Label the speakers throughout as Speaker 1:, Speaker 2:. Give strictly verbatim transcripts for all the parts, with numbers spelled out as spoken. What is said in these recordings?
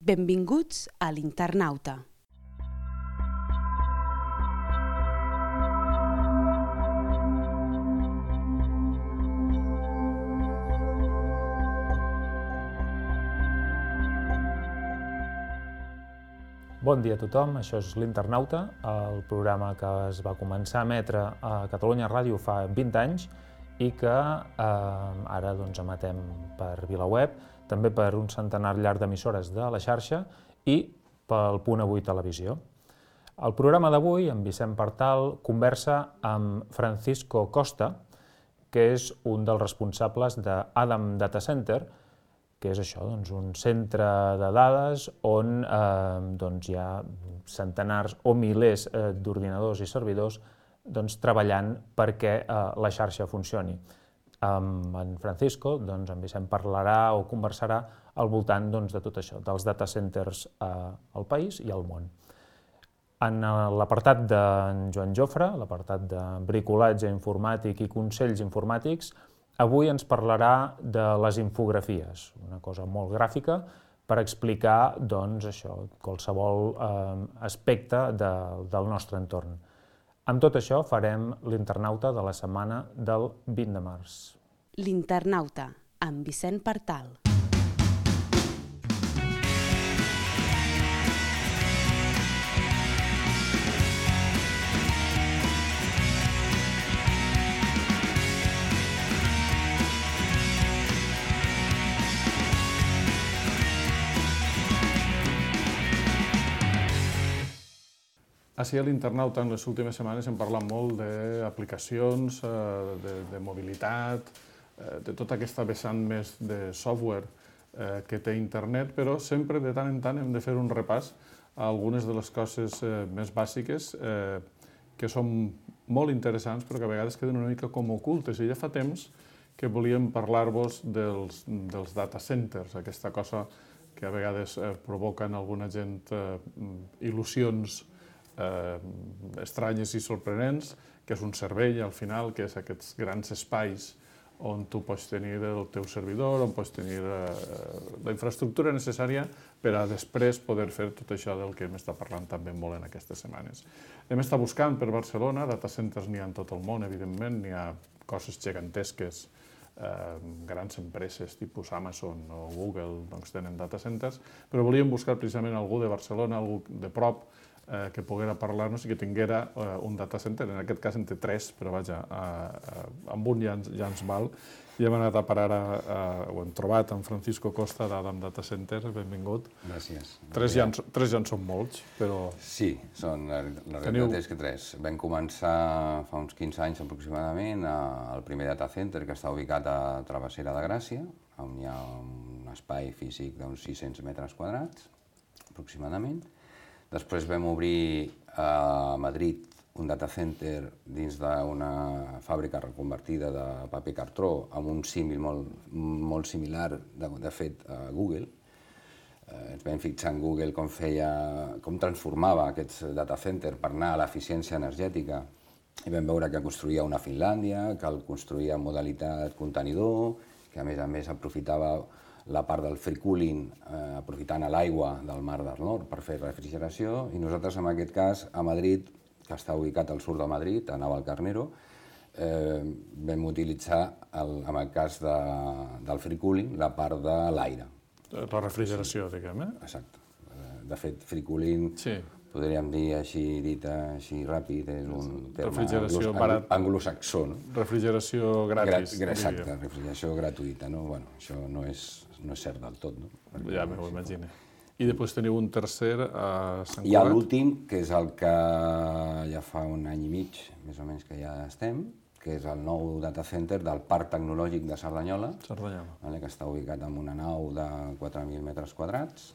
Speaker 1: Benvinguts a l'Internauta.
Speaker 2: Bon dia a tothom, això és l'Internauta, el programa que es va començar a emetre a Catalunya Ràdio fa vint anys i que eh, ara doncs, emetem per VilaWeb, també per un centenar llarg d'emissores de la xarxa i pel Punt Avui Televisió. El programa d'avui, en Vicent Partal, conversa amb Francisco Costa, que és un dels responsables d'Adam Data Center, que és això, doncs, un centre de dades on eh, doncs, hi ha centenars o milers eh, d'ordinadors i servidors doncs, treballant perquè eh, la xarxa funcioni. Amb en Francisco, doncs, en Vicent parlarà o conversarà al voltant doncs, de tot això, dels data centers eh, al país i al món. En l'apartat d'en Joan Jofre, l'apartat de bricolatge informàtic i consells informàtics, avui ens parlarà de les infografies, una cosa molt gràfica per explicar doncs, això, qualsevol eh, aspecte de, del nostre entorn. Amb tot això farem l'Internauta de la setmana del vint de març.
Speaker 1: L'Internauta, amb Vicent Partal.
Speaker 3: Així a l'Internauta, en les últimes setmanes, hem parlat molt d'aplicacions, de, de mobilitat, de tota aquesta vessant més de software que té internet, però sempre de tant en tant hem de fer un repàs a algunes de les coses més bàsiques que són molt interessants però que a vegades queden una mica com ocultes. I ja fa temps que volíem parlar-vos dels, dels data centers, aquesta cosa que a vegades provoca en alguna gent il·lusions Eh, estranyes i sorprenents, que és un servei al final, que és aquests grans espais on tu pots tenir el teu servidor, on pots tenir eh, la infraestructura necessària per a després poder fer tot això del que hem estat parlant també molt en aquestes setmanes. Hem estat buscant per Barcelona, data centers n'hi ha en tot el món, evidentment, n'hi ha coses gegantesques, eh, grans empreses tipus Amazon o Google doncs, tenen data centers, però volíem buscar precisament algú de Barcelona, algú de prop, Eh, que poguera parlar-nos i que tinguera eh, un data center. En aquest cas en té tres, però vaja, eh, eh, amb un ja ens, ja ens val. I hem anat a parar, a, a, ho hem trobat, en Francisco Costa d'Adam Data Center, benvingut.
Speaker 4: Gràcies.
Speaker 3: Tres ja, en, tres ja en són molts, però...
Speaker 4: Sí, són, la, la
Speaker 3: Teniu...
Speaker 4: realitat és que tres. Vam començar fa uns quinze anys aproximadament al primer data center, que està ubicat a Travessera de Gràcia, on hi ha un espai físic d'uns sis-cents metres quadrats, aproximadament. Després vam obrir a Madrid un data center dins d'una fàbrica reconvertida de paper cartró amb un símil molt, molt similar, de, de fet, a Google. Eh, ens vam fixar en Google com feia, com transformava aquests data centers per anar a l'eficiència energètica i vam veure que construïa una a Finlàndia, que el construïa en modalitat contenidor, que a més a més aprofitava la part del free cooling, eh, aprofitant l'aigua del Mar del Nord per fer refrigeració, i nosaltres, en aquest cas, a Madrid, que està ubicat al sud de Madrid, a Navalcarnero, eh, vam utilitzar, el, en el cas de, del free cooling, la part de l'aire.
Speaker 3: La refrigeració, diguem, eh?
Speaker 4: Exacte. De fet, free cooling, sí. Podríem dir així, dit així ràpid, és un terme anglo anglosaxó. No?
Speaker 3: Refrigeració gratis.
Speaker 4: Gra exacte, refrigeració gratuïta. No? Bueno, això no és, no és cert del tot. No?
Speaker 3: Perquè ja m'ho imagino. I després teniu un tercer a Sant Cugat.
Speaker 4: Hi ha l'últim, que és el que ja fa un any i mig, més o menys que ja estem, que és el nou data center del Parc Tecnològic de Cerdanyola,
Speaker 3: Cerdanyola.
Speaker 4: Vale, que està ubicat en una nau de quatre mil metres quadrats,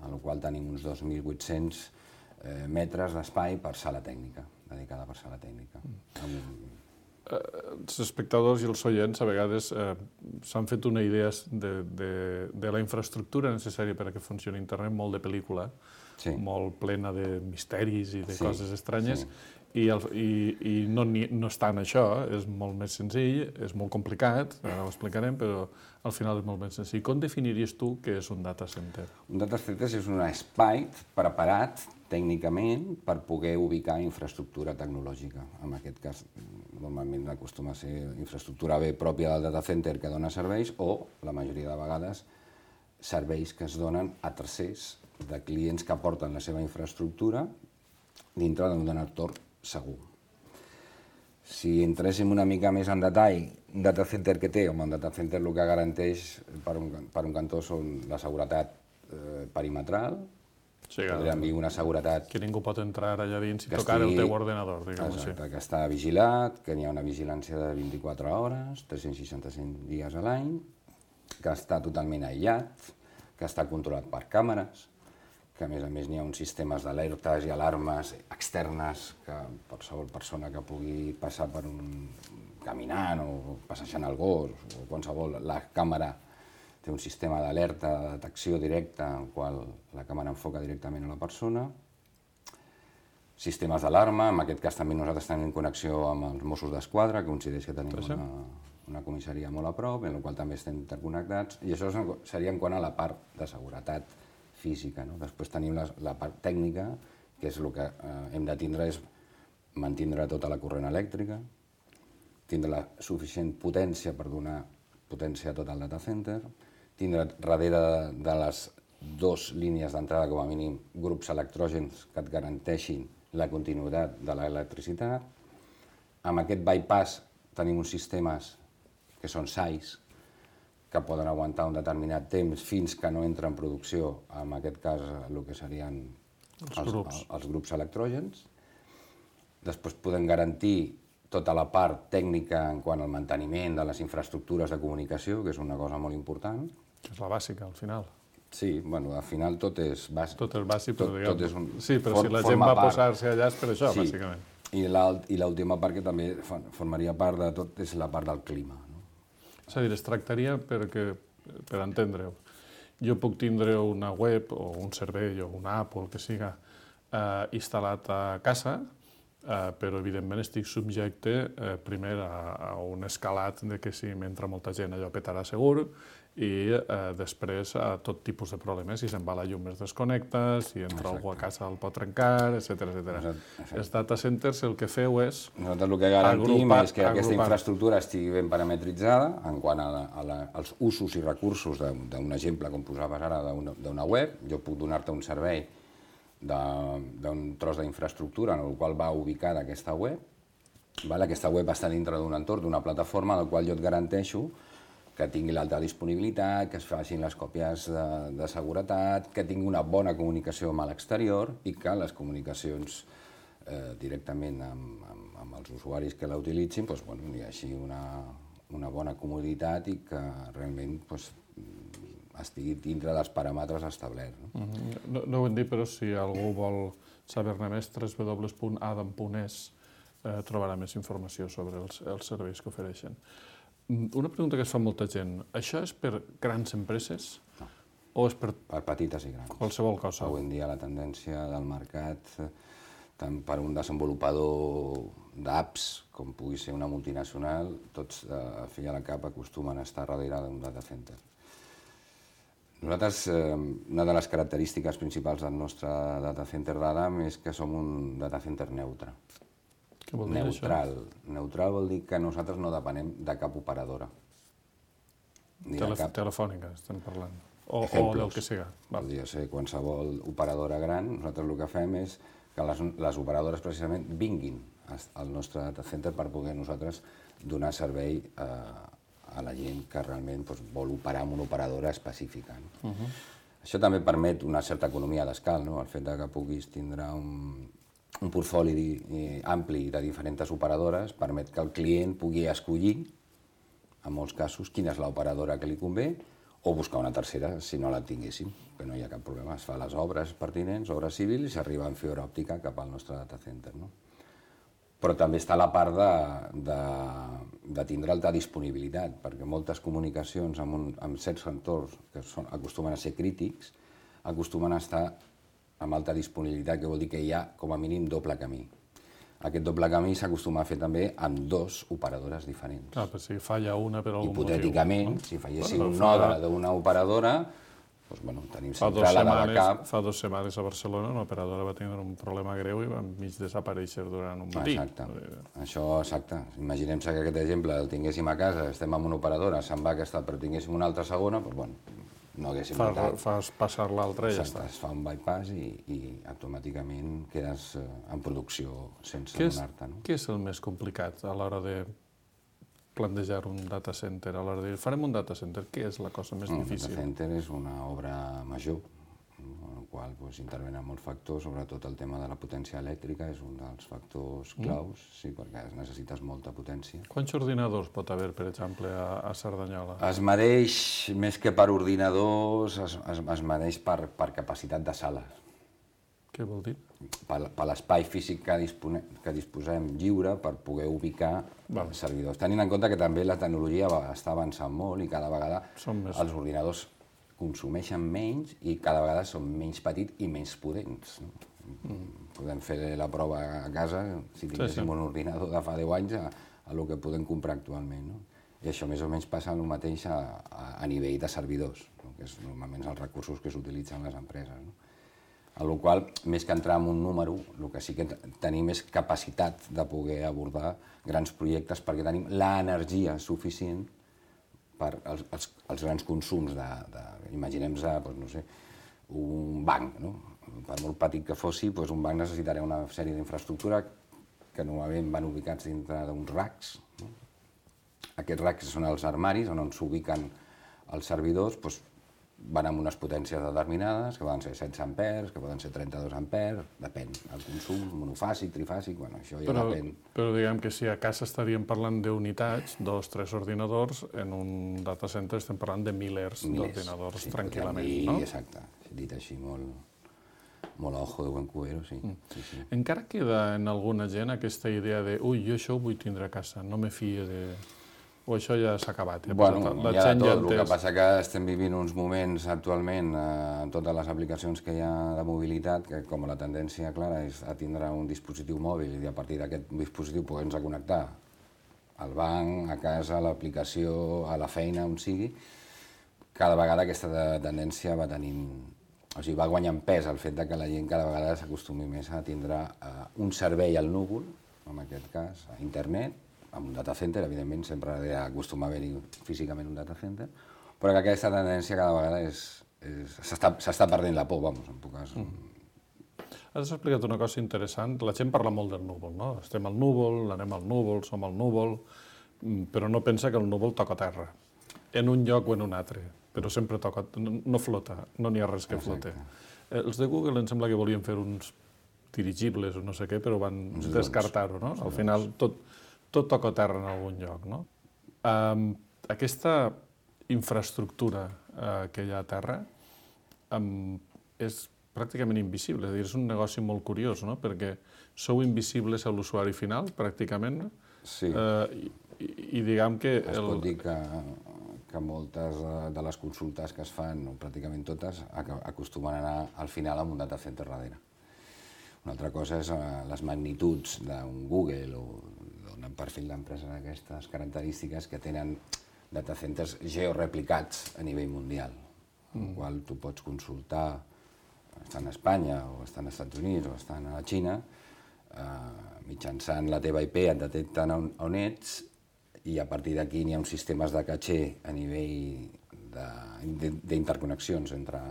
Speaker 4: a la qual tenim uns dos mil vuit-cents eh, metres d'espai per sala tècnica, dedicada per sala tècnica. Mm. Amb...
Speaker 3: Els espectadors i els oients a vegades eh, s'han fet una idea de, de, de la infraestructura necessària per a que funcioni internet, molt de pel·lícula, sí. Molt plena de misteris i de sí, coses estranyes, sí. I, el, i, i no, ni, no està en això, és molt més senzill, és molt complicat, ara ho explicarem, però al final és molt més senzill. Com definiries tu què és un data center?
Speaker 4: Un data center és un espai preparat tècnicament per poder ubicar infraestructura tecnològica. En aquest cas, normalment acostuma a ser infraestructura bé pròpia del data center que dona serveis o, la majoria de vegades, serveis que es donen a tercers de clients que aporten la seva infraestructura dintre d'un entorn segur. Si entréssim una mica més en detall, un data center que té, home, un data center el que garanteix per un, per un cantó són la seguretat eh, perimetral,
Speaker 3: Sí,
Speaker 4: podríem dir una seguretat
Speaker 3: que ningú pot entrar allà dins i
Speaker 4: que
Speaker 3: tocar
Speaker 4: estigui-
Speaker 3: el teu ordenador, diguem-ho així.
Speaker 4: exacte, que està vigilat, que n'hi ha una vigilància de vint-i-quatre hores, tres-cents seixanta-cinc dies a l'any, que està totalment aïllat, que està controlat per càmeres, que a més a més n'hi ha uns sistemes d'alertes i alarmes externes que qualsevol persona que pugui passar per un caminant o passejant el gos o qualsevol, la càmera té un sistema d'alerta, de detecció directa en qual la càmera enfoca directament a la persona. Sistemes d'alarma, en aquest cas també nosaltres tenim connexió amb els Mossos d'Esquadra, que coincideix que tenim una, una comissaria molt a prop, en la qual també estem interconnectats, i això seria en quant a la part de seguretat física. No? Després tenim la, la part tècnica, que és el que eh, hem de tindre és mantindre tota la corrent elèctrica, tindre la suficient potència per donar potència a tot el data center, tindre darrere de, de les dues línies d'entrada, com a mínim, grups electrògens que et garanteixin la continuïtat de l'electricitat. Amb aquest bypass tenim uns sistemes que són S A Is, que poden aguantar un determinat temps fins que no entra en producció, en aquest cas el que serien
Speaker 3: Els
Speaker 4: els,
Speaker 3: grups.
Speaker 4: els grups electrògens. Després podem garantir tota la part tècnica en quant al manteniment de les infraestructures de comunicació, que és una cosa molt important.
Speaker 3: Que és la bàsica, al final.
Speaker 4: Sí, bueno, al final tot és bàsic.
Speaker 3: Tot és bàsic, però
Speaker 4: Tot-
Speaker 3: diguem...
Speaker 4: tot és un-
Speaker 3: Sí, però
Speaker 4: for-
Speaker 3: si la gent
Speaker 4: forma
Speaker 3: va
Speaker 4: part.
Speaker 3: posar-se allà és per això,
Speaker 4: Sí.
Speaker 3: bàsicament.
Speaker 4: I l'alt- i l'última part que també for- formaria part de tot és la part del clima. No?
Speaker 3: És a dir, es tractaria perquè, per entendre-ho, jo puc tindre una web o un servei o una app o el que siga eh, instal·lat a casa, eh, però evidentment estic subjecte eh, primer a, a un escalat de que si m'entra molta gent allò petarà segur i eh, després a tot tipus de problemes, si se'n va la llum es desconnecta, si entra algú a casa el pot trencar, etcètera etcètera.
Speaker 4: Exacte, exacte.
Speaker 3: Els data centers el que feu és
Speaker 4: Nosaltres el que garantim
Speaker 3: Agrupar-
Speaker 4: és que aquesta
Speaker 3: agrupar.
Speaker 4: infraestructura estigui ben parametritzada en quant a la, a la, als usos i recursos de- d'un exemple, com posaves ara, d'una d'una web. Jo puc donar-te un servei de- d'un tros d'infraestructura en el qual va ubicada aquesta web. Vale? Aquesta web està dintre d'un entorn, d'una plataforma en la qual jo et garanteixo que tingui l'alta disponibilitat, que es facin les còpies de, de seguretat, que tingui una bona comunicació amb l'exterior i que les comunicacions eh, directament amb, amb, amb els usuaris que la utilitzin doncs, bueno, hi hagi una, una bona comoditat i que realment doncs, estigui dintre dels paràmetres establerts. No?
Speaker 3: No, no ho hem dit, però si algú vol saber-ne més, w w w punt adam punt es eh, trobarà més informació sobre els, els serveis que ofereixen. Una pregunta que es fa molta gent. Això és per grans empreses
Speaker 4: No.
Speaker 3: o és per
Speaker 4: Per petites i grans.
Speaker 3: qualsevol cosa?
Speaker 4: Avui en dia la tendència del mercat, eh, tant per un desenvolupador d'apps com pugui ser una multinacional, tots eh, a fi i a la cap acostumen a estar darrere d'un data center. Nosaltres, eh, una de les característiques principals del nostre data center d'Adam és que som un data center neutre.
Speaker 3: Què vol dir
Speaker 4: Neutral. Neutral vol dir que nosaltres no depenem de cap operadora. Ni
Speaker 3: això?
Speaker 4: de
Speaker 3: Tele
Speaker 4: cap
Speaker 3: telefònica, estem parlant. O, o
Speaker 4: Ejemplos.
Speaker 3: del que siga. Val.
Speaker 4: Podria ser qualsevol operadora gran. Nosaltres el que fem és que les, les operadores precisament vinguin al nostre data center per poder nosaltres donar servei a, a la gent que realment doncs, vol operar amb una operadora específica. No? Uh -huh. Això també permet una certa economia d'escal, no? El fet de que puguis tindre un, un portfoli ampli de diferents operadores permet que el client pugui escollir, en molts casos, quina és l'operadora que li convé, o buscar una tercera si no la tinguéssim, que no hi ha cap problema. Es fa les obres pertinents, obres civils, i s'arriba en fibra òptica cap al nostre data center. No? Però també està la part de, de, de tindre alta disponibilitat, perquè moltes comunicacions amb, un, amb certs entorns que són, acostumen a ser crítics, acostumen a estar amb alta disponibilitat, que vol dir que hi ha com a mínim doble camí. Aquest doble camí s'acostuma a fer també amb dos operadores diferents.
Speaker 3: Ah, però si falla una per algun
Speaker 4: Hipotèticament,
Speaker 3: motiu.
Speaker 4: si falléssim un node d'una operadora, doncs, bueno, tenim sempre la de backup.
Speaker 3: Fa dues setmanes a Barcelona una operadora va tenir un problema greu i va mig desaparèixer durant un matí.
Speaker 4: Exacte. Això, exacte. Imaginem-se que aquest exemple el tinguéssim a casa, estem amb una operadora, se'n va aquesta, però tinguéssim una altra segona, doncs, bueno, no haguéssim notat.
Speaker 3: Fas passar l'altra i ja està.
Speaker 4: Es fa un bypass i, i automàticament quedes en producció sense
Speaker 3: què és,
Speaker 4: donar-te. No?
Speaker 3: Què és el més complicat a l'hora de plantejar un data center, a l'hora de dir, farem un data center, què és la cosa més
Speaker 4: no,
Speaker 3: difícil?
Speaker 4: Un data center és una obra major, en la qual pues, intervenen molts factors, sobretot el tema de la potència elèctrica és un dels factors claus, mm. sí, perquè necessites molta potència.
Speaker 3: Quants ordinadors pot haver, per exemple, a, a Cerdanyola?
Speaker 4: Es mereix, més que per ordinadors, es, es, es mereix per, per capacitat de sales.
Speaker 3: Què vol dir?
Speaker 4: Per, per l'espai físic que, dispone, que disposem lliure per poder ubicar
Speaker 3: vale.
Speaker 4: servidors. Tenint en compte que també la tecnologia va, està avançant molt i cada vegada
Speaker 3: més...
Speaker 4: els ordinadors consumeixen menys i cada vegada són menys petits i menys potents. No? Mm. Podem fer la prova a casa, si tinguéssim sí, sí. un ordinador de fa deu anys, a, a lo que podem comprar actualment. No? I això més o menys passa el mateix a, a, a nivell de servidors, no? Que és normalment els recursos que s'utilitzen les empreses. No? A la qual, més que entrar en un número, el que sí que tenim és capacitat de poder abordar grans projectes perquè tenim l'energia suficient per als, als, als grans consums de, de imaginem-nos, doncs, no sé, un banc, no? Per molt petit que fossi, doncs un banc necessitarà una sèrie d'infraestructura que normalment van ubicats dintre d'uns racks. No? Aquests racks són els armaris on s'ubiquen els servidors, doncs, van amb unes potències determinades, que poden ser setze amperes, que poden ser trenta-dos amperes, depèn del consum, monofàsic, trifàsic, bueno, això ja
Speaker 3: però,
Speaker 4: depèn.
Speaker 3: Però diguem que si a casa estaríem parlant d'unitats, dos, tres ordinadors, en un data center estem parlant de milers, milers d'ordinadors sí, tranquil·lament,
Speaker 4: dir,
Speaker 3: no?
Speaker 4: Exacte, dit així molt, molt a ojo de buen cubero, sí. Mm. sí, sí.
Speaker 3: Encara queda en alguna gent aquesta idea de ui, jo això ho vull tindre a casa, no me fio de... O això ja s'ha acabat? Ja
Speaker 4: bueno,
Speaker 3: la
Speaker 4: hi ha
Speaker 3: gent
Speaker 4: de tot.
Speaker 3: Ja
Speaker 4: el que passa que estem vivint uns moments actualment eh, en totes les aplicacions que hi ha de mobilitat, que com la tendència clara és a tindre un dispositiu mòbil i a partir d'aquest dispositiu poder-nos connectar al banc, a casa, a l'aplicació, a la feina, on sigui, cada vegada aquesta tendència va tenint... O sigui, va guanyant pes el fet de que la gent cada vegada s'acostumi més a tindre eh, un servei al núvol, en aquest cas, a internet, amb un data center, evidentment, sempre acostuma a haver-hi físicament un data center, però que aquesta tendència cada vegada és... s'està perdent la por, vamos, en tot cas.
Speaker 3: Mm. Has explicat una cosa interessant. La gent parla molt del núvol, no? Estem al núvol, anem al núvol, som al núvol, però no pensa que el núvol toca terra, en un lloc o en un altre, però sempre toca, no flota, no n'hi ha res que flote. Eh, els de Google em sembla que volien fer uns dirigibles o no sé què, però van descartar-ho, no? Al final tot... tot toca terra en algun lloc, no? Um, aquesta infraestructura uh, que hi ha a terra um, és pràcticament invisible, és a dir, és un negoci molt curiós, no? Perquè sou invisibles a l'usuari final, pràcticament,
Speaker 4: sí.
Speaker 3: uh, i, i diguem que...
Speaker 4: Es el... pot dir que, que moltes de les consultes que es fan, o pràcticament totes, acostumen a anar al final amb un data center darrere. Una altra cosa és uh, les magnituds d'un Google o un perfil d'empreses d'aquestes característiques que tenen data centers georeplicats a nivell mundial, mm. el qual tu pots consultar, estan a Espanya o estan als Estats Units o estan a la Xina, eh, mitjançant la teva I P et detecten on, on ets i a partir d'aquí n'hi ha uns sistemes de caché a nivell d'interconnexions entre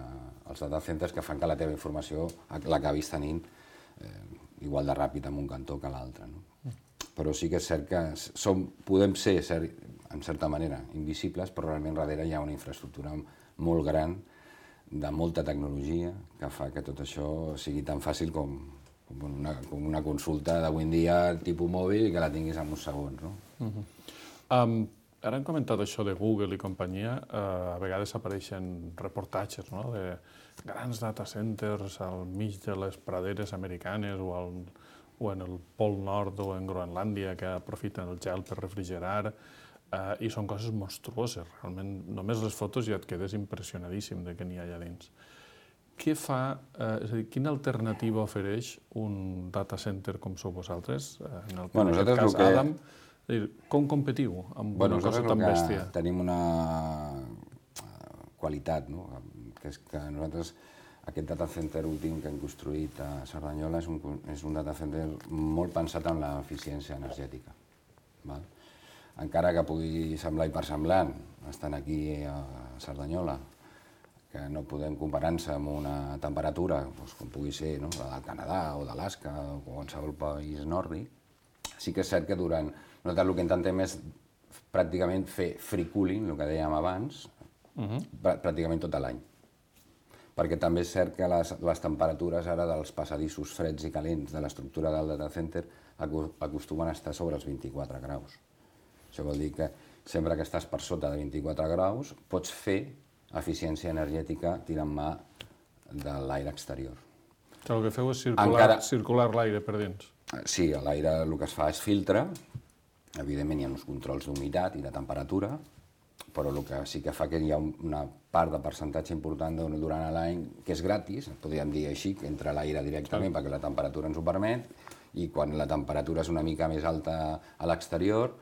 Speaker 4: els data centers que fan que la teva informació l'acabis tenint eh, igual de ràpid en un cantó que l'altre. No? Però sí que és cert que som, podem ser, en certa manera, invisibles, però realment darrere hi ha una infraestructura molt gran, de molta tecnologia, que fa que tot això sigui tan fàcil com, com, una, com una consulta d'avui en dia tipus mòbil i que la tinguis en uns segons. No?
Speaker 3: Uh-huh. um, ara hem comentat això de Google i companyia, uh, a vegades apareixen reportatges, no?, de grans data centers al mig de les praderes americanes o al o en el Pol Nord o en Groenlàndia, que aprofiten el gel per refrigerar, eh, i són coses monstruoses, realment. Només les fotos ja et quedes impressionadíssim de què n'hi ha allà dins. què fa, eh, és a dir, quina alternativa ofereix un data center com sou vosaltres? En el
Speaker 4: bueno,
Speaker 3: en aquest cas,
Speaker 4: que...
Speaker 3: Adam, és dir, com competiu amb
Speaker 4: bueno,
Speaker 3: una cosa tan bèstia?
Speaker 4: Tenim una qualitat, no? Que és que nosaltres, aquest data center últim que hem construït a Cerdanyola és un, és un data center molt pensat en l'eficiència energètica. Val? Encara que pugui semblar hipersemblant, estant aquí a Cerdanyola, que no podem comparar-se amb una temperatura, doncs, com pugui ser no? la del Canadà o d'Alaska o qualsevol país nòrdic, sí que és cert que durant... Nosaltres el que intentem és pràcticament fer free cooling, el que dèiem abans, uh-huh. pràcticament tot l'any. Perquè també és cert que les, les temperatures ara dels passadissos freds i calents de l'estructura del data center acostumen a estar sobre els vint-i-quatre graus. Això vol dir que sempre que estàs per sota de vint-i-quatre graus pots fer eficiència energètica tirant mà de l'aire exterior.
Speaker 3: Que el que feu és circular, Encara... circular l'aire per dins.
Speaker 4: Sí, l'aire el que es fa és filtre. Evidentment hi ha uns controls d'humitat i de temperatura, però el que sí que fa que hi ha una part de percentatge important durant l'any que és gratis, podríem dir així, que entra l'aire directament perquè la temperatura ens ho permet, i quan la temperatura és una mica més alta a l'exterior,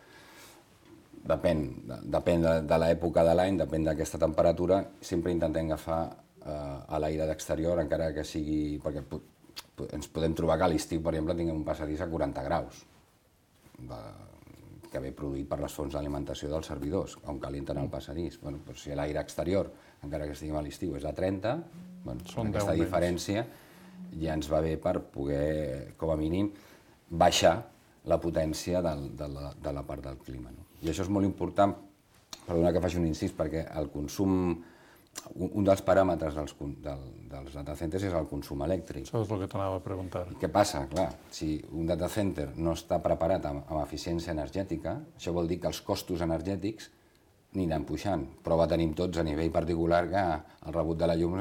Speaker 4: depèn, depèn de, de l'època de l'any, depèn d'aquesta temperatura, sempre intentem agafar eh, a l'aire d'exterior, encara que sigui... perquè ens podem trobar que a l'estiu, per exemple, tinguem un passadís a quaranta graus, de, que ve produït per les fonts d'alimentació dels servidors, on calienten el passadís. Bueno, doncs si l'aire exterior, encara que estiguem a l'estiu, és a trenta, bueno, aquesta diferència ja ens va bé per poder, com a mínim, baixar la potència del, de, la, de la part del clima. No? I això és molt important, perdona que faci un incís, perquè el consum, un dels paràmetres dels, del, dels data centers és el consum elèctric.
Speaker 3: Això és el que t'anava a preguntar.
Speaker 4: I què passa? Clar, si un data center no està preparat amb, amb eficiència energètica, això vol dir que els costos energètics aniran pujant. Prova tenim tots a nivell particular que el rebut de la llum,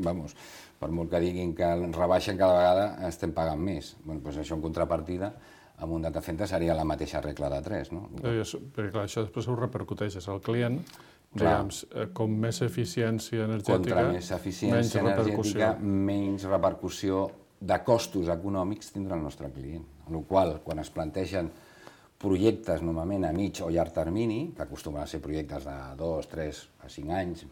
Speaker 4: vamos, per molt que diguin que el rebaixen cada vegada, estem pagant més. Bueno, doncs això en contrapartida, amb un data center seria la mateixa regla de tres, no?
Speaker 3: Perquè clar, això després ho repercuteixes al client, diguem, com més eficiència energètica,
Speaker 4: contra més eficiència energètica, menys repercussió de costos econòmics tindrà el nostre client. Amb la qual cosa, quan es plantegen projectes normalment a mig o llarg termini, que acostumen a ser projectes de dos, tres a cinc anys,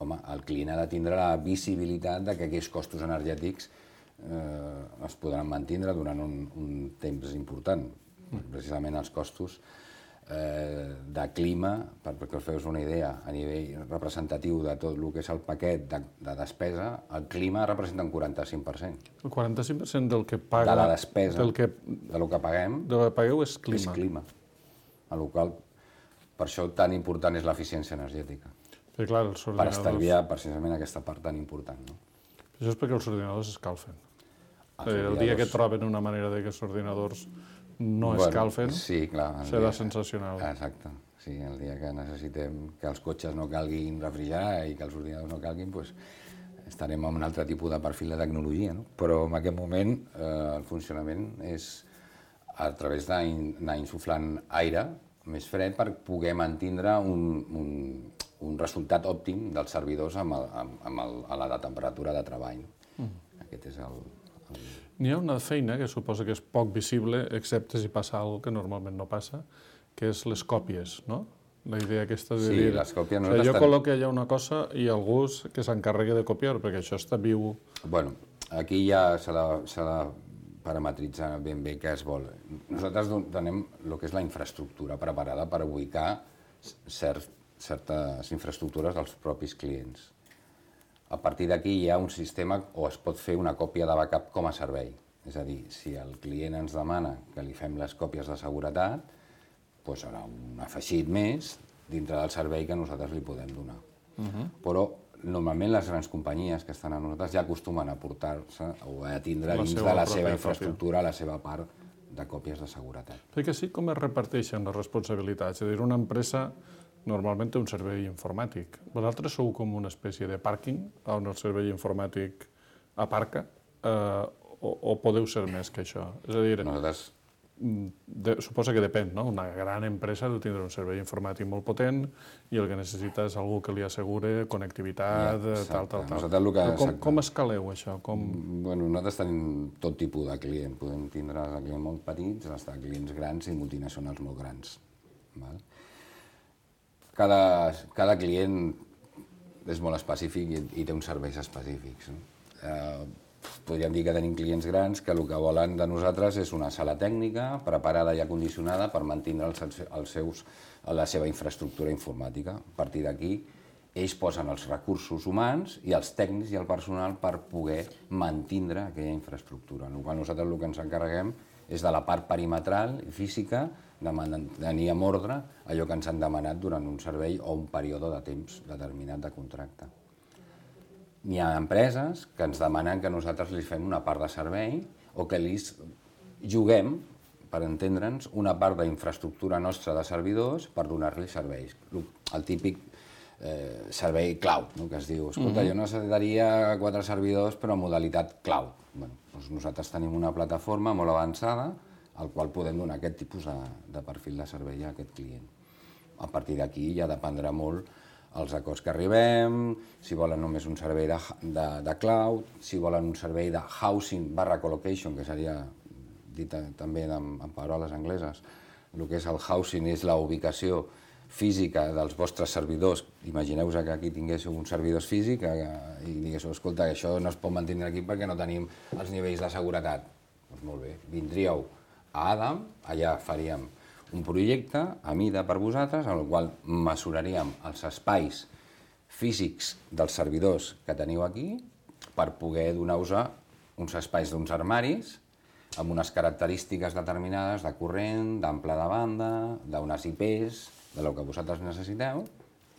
Speaker 4: home, el client ha de tindre la visibilitat de que aquests costos energètics Eh, es podran mantindre durant un, un temps important. Precisament els costos eh, de clima, per, perquè us feu una idea, a nivell representatiu de tot el que és el paquet de, de despesa, el clima representa un quaranta-cinc per cent.
Speaker 3: El quaranta-cinc per cent del que paga...
Speaker 4: De la despesa,
Speaker 3: del que,
Speaker 4: de lo que paguem,
Speaker 3: del que pagueu és clima.
Speaker 4: És clima. A lo qual, per això tan important és l'eficiència energètica.
Speaker 3: Sí, clar, els ordinadors...
Speaker 4: Per estalviar precisament aquesta part tan important. No?
Speaker 3: Això és perquè els ordinadors escalfen. Els el dia que troben una manera de que els ordinadors no bueno, escalfen,
Speaker 4: sí, clar,
Speaker 3: serà
Speaker 4: dia...
Speaker 3: sensacional.
Speaker 4: Exacte. Sí, el dia que necessitem que els cotxes no calguin refrigerar i que els ordinadors no calguin, doncs estarem en un altre tipus de perfil de tecnologia. No? Però en aquest moment eh, el funcionament és a través d'anar insuflant aire més fred per poder mantindre un, un, un resultat òptim dels servidors amb, el, amb, amb el, a la de temperatura de treball. No? Mm. Aquest és el...
Speaker 3: N'hi ha una feina que suposa que és poc visible, excepte si passa alguna cosa que normalment no passa, que és les còpies, no? La idea aquesta de
Speaker 4: sí,
Speaker 3: dir...
Speaker 4: les còpies no
Speaker 3: jo
Speaker 4: estan...
Speaker 3: col·loco allà una cosa i algú que s'encarregui de copiar, perquè això està viu...
Speaker 4: Bueno, aquí ja s'ha de, de parametritzar ben bé què es vol. Nosaltres tenim el que és la infraestructura preparada per ubicar cert, certes infraestructures dels propis clients. A partir d'aquí hi ha un sistema o es pot fer una còpia de backup com a servei. És a dir, si el client ens demana que li fem les còpies de seguretat, doncs serà un afegit més dintre del servei que nosaltres li podem donar. Uh-huh. Però normalment les grans companyies que estan a nosaltres ja acostumen a portar-se o a tindre la dins de la seva infraestructura còpia. La seva part de còpies de seguretat.
Speaker 3: Perquè sí, com es reparteixen les responsabilitats? És a dir, una empresa normalment té un servei informàtic. Vosaltres sou com una espècie de pàrquing on el servei informàtic aparca eh, o, o podeu ser més que això? És a dir...
Speaker 4: Nosaltres
Speaker 3: de, suposa que depèn, no? Una gran empresa deu tindre un servei informàtic molt potent i el que necessita és algú que li assegure connectivitat, ja, tal, tal, tal.
Speaker 4: Nosaltres el que...
Speaker 3: Com, com escaleu això? Com...
Speaker 4: Bueno, nosaltres tenim tot tipus de client. Podem tindre clients molt petits, fins a clients grans i multinacionals molt grans. Val? Cada, cada client és molt específic i, i té uns serveis específics. No? Eh, Podríem dir que tenim clients grans que el que volen de nosaltres és una sala tècnica preparada i acondicionada per mantenir els, els seus, la seva infraestructura informàtica. A partir d'aquí, ells posen els recursos humans i els tècnics i el personal per poder mantenir aquella infraestructura. Nosaltres el que ens encarreguem és de la part perimetral i física de mantenir en ordre allò que ens han demanat durant un servei o un període de temps determinat de contracte. N'hi ha empreses que ens demanen que nosaltres li fem una part de servei o que li juguem, per entendre'ns, una part d'infraestructura nostra de servidors per donar-li serveis. El típic eh, servei cloud, no? Que es diu, escolta, jo necessitaria quatre servidors però en modalitat cloud. Bueno, doncs nosaltres tenim una plataforma molt avançada al qual podem donar aquest tipus de, de perfil de servei a aquest client. A partir d'aquí ja dependrà molt els acords que arribem, si volen només un servei de, de, de cloud, si volen un servei de housing barra colocation, que seria dit també en, en paraules angleses. El que és el housing és la ubicació física dels vostres servidors. Imagineu-vos que aquí tinguéssiu uns servidors físics i diguéssiu, escolta, això no es pot mantenir aquí perquè no tenim els nivells de seguretat. Doncs molt bé, vindríeu a Adam, allà faríem un projecte a mida per vosaltres, en el qual mesuraríem els espais físics dels servidors que teniu aquí per poder donar-vos uns espais d'uns armaris amb unes característiques determinades de corrent, d'ample de banda, d'unes I Ps, del que vosaltres necessiteu,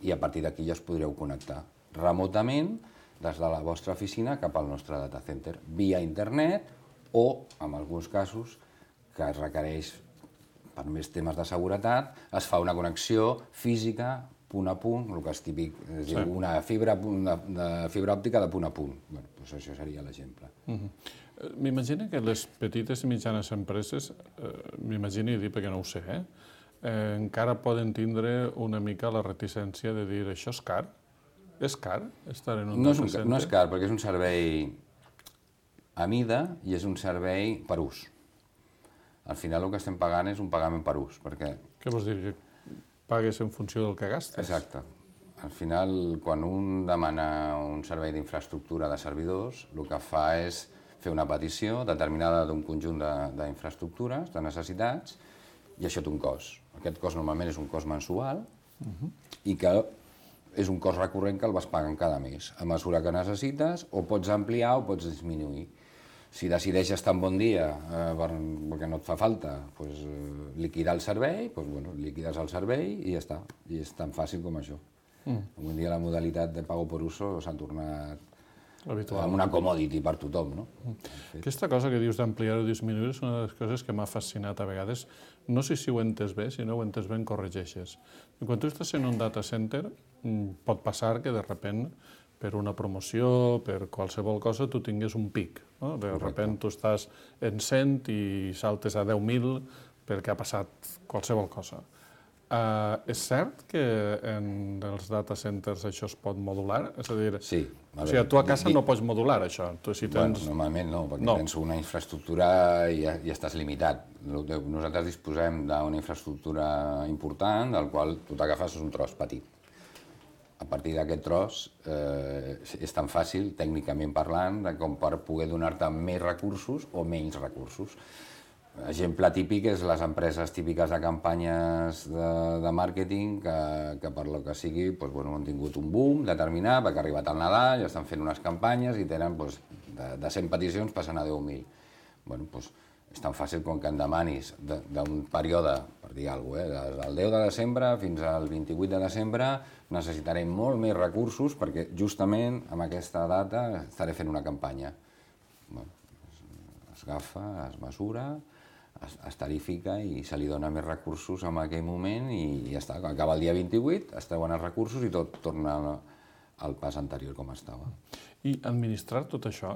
Speaker 4: i a partir d'aquí ja us podreu connectar remotament des de la vostra oficina cap al nostre data center, via internet o, en alguns casos, que es requereix per més temes de seguretat, es fa una connexió física, punt a punt, el que és típic, és sí. dir, una fibra, de, de fibra òptica de punt a punt. Bueno, doncs això seria l'exemple.
Speaker 3: Uh-huh. M'imagino que les petites i mitjanes empreses, eh, m'imagino i dir perquè no ho sé, eh, eh, encara poden tindre una mica la reticència de dir això és car? És car estar en un
Speaker 4: no
Speaker 3: data
Speaker 4: és un,
Speaker 3: center?
Speaker 4: No és car, perquè és un servei a mida i és un servei per ús. Al final el que estem pagant és un pagament per ús, perquè...
Speaker 3: Què vols dir? Que pagues en funció del que gastes?
Speaker 4: Exacte. Al final, quan un demana un servei d'infraestructura de servidors, el que fa és fer una petició determinada d'un conjunt d'infraestructures, de, de necessitats, i això té un cost. Aquest cost normalment és un cost mensual uh-huh. i que és un cost recurrent que el vas pagant cada mes. A mesura que necessites, o pots ampliar o pots disminuir. Si decideixes estar en bon dia eh, perquè no et fa falta pues, eh, liquidar el servei, pues, bueno, liquides el servei i ja està. I és tan fàcil com això. Mm. Avui en dia la modalitat de pago per uso s'ha tornat habitual. Amb una commodity per tothom. No?
Speaker 3: Mm. Aquesta cosa que dius d'ampliar o disminuir és una de les coses que m'ha fascinat a vegades. No sé si ho entes bé, si no ho entes bé en corregeixes. Quan tu estàs en un data center, pot passar que de repent per una promoció, per qualsevol cosa, tu tingues un pic. No? De repent tu estàs en cent i saltes a deu mil perquè ha passat qualsevol cosa. Uh, és cert que en els data centers això es pot modular? És a dir,
Speaker 4: sí.
Speaker 3: A o sigui, tu a casa no pots modular això. Tu, si tens...
Speaker 4: bueno, normalment no, perquè no. Tens una infraestructura i, i estàs limitat. Nosaltres disposem d'una infraestructura important, del qual tu t'agafes un tros petit. A partir d'aquest tros eh, és tan fàcil, tècnicament parlant, de com per poder donar-te més recursos o menys recursos. Exemple típic és les empreses típiques de campanyes de, de màrqueting que, que per lo que sigui pues, bueno, han tingut un boom determinat, perquè ha arribat el Nadal, ja estan fent unes campanyes i tenen pues, de, de cent peticions passen a deu mil. Bueno, pues, és tan fàcil com que em demanis d'un període, per dir alguna cosa, eh, del deu de desembre fins al vint-i-vuit de desembre necessitarem molt més recursos perquè justament en aquesta data estaré fent una campanya. Bueno, es agafa, es mesura, es, es tarifica i se li dona més recursos en aquell moment i ja està. Quan acaba el dia vint-i-vuit es treuen els recursos i tot torna al pas anterior com estava.
Speaker 3: I administrar tot això?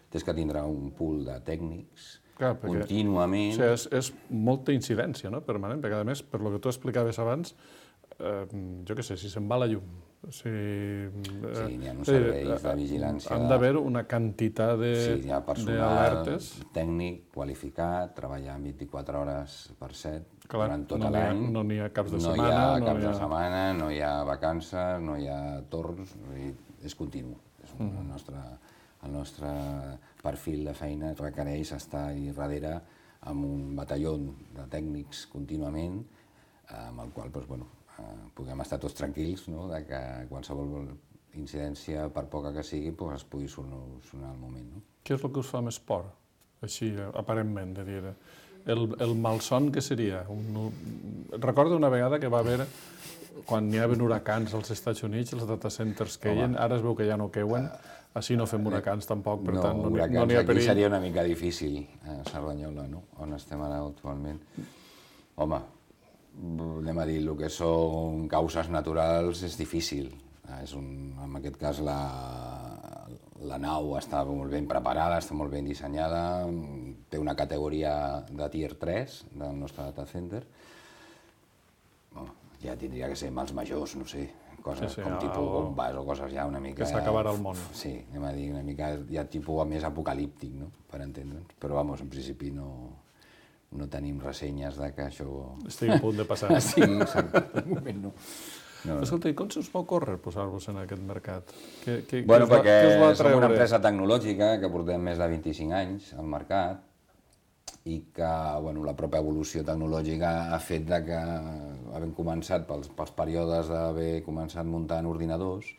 Speaker 4: Tens que tindre un pool de tècnics
Speaker 3: Clar, perquè,
Speaker 4: contínuament.
Speaker 3: O sigui, és, és molta incidència, no?, permanent, perquè a més, per lo que tu explicaves abans, eh, jo què sé, si se'n va la llum, si... Eh,
Speaker 4: sí, n'hi ha uns serveis de vigilància.
Speaker 3: Han d'haver una quantitat de
Speaker 4: Sí, hi ha personal
Speaker 3: d'alertes.
Speaker 4: tècnic, qualificat, treballant vint-i-quatre hores per set,
Speaker 3: Clar,
Speaker 4: durant tot
Speaker 3: no n'hi ha-
Speaker 4: l'any.
Speaker 3: no n'hi ha caps de
Speaker 4: No hi
Speaker 3: setmana,
Speaker 4: ha
Speaker 3: no
Speaker 4: caps
Speaker 3: n'hi
Speaker 4: de
Speaker 3: ha-
Speaker 4: setmana, no hi ha vacances, no hi ha torns, vull dir, és continu. És un, el, nostre, el nostre perfil de feina requereix estar ahí darrere amb un batalló de tècnics contínuament, amb el qual doncs, bueno, eh, puguem estar tots tranquils, no?, de que qualsevol incidència, per poca que sigui, doncs, es pugui solucionar al moment. No?
Speaker 3: Què és el que us fa més por, així, aparentment, de dir? El, el malson que seria? Un, recordo una vegada que va haver, quan hi havia huracans als Estats Units, els data centers queien, ara es veu que ja no queuen, així no fem huracans tampoc, per
Speaker 4: no,
Speaker 3: tant, no,
Speaker 4: huracans,
Speaker 3: no n'hi ha
Speaker 4: aquí
Speaker 3: perill.
Speaker 4: seria una mica difícil, a Cerdanyola, no?, on estem ara actualment. Home, anem a dir, el que són causes naturals és difícil. És un, en aquest cas, la, la nau està molt ben preparada, està molt ben dissenyada, té una categoria de tier tres del nostre data center. Home, ja tindria que ser mals majors, no sé, coses
Speaker 3: Sí, sí,
Speaker 4: com
Speaker 3: algo-
Speaker 4: tipus bombes o coses ja una mica...
Speaker 3: Que s'acabarà el món.
Speaker 4: Sí, anem a dir, una mica ja tipus més apocalíptic, no?, per entendre'ns. Però, vamos, en principi no, no tenim ressenyes de que això...
Speaker 3: Estic a punt de passar.
Speaker 4: Sí, exacte, de moment no. No, no.
Speaker 3: Escolta, i com se us va ocórrer posar-vos en aquest mercat? Què, què,
Speaker 4: Bueno,
Speaker 3: què us va,
Speaker 4: perquè
Speaker 3: què us va
Speaker 4: som una
Speaker 3: atreure?
Speaker 4: empresa tecnològica que portem més de vint-i-cinc anys al mercat i que, bueno, la pròpia evolució tecnològica ha fet de que, havent començat pels, pels períodes d'haver començat muntant ordinadors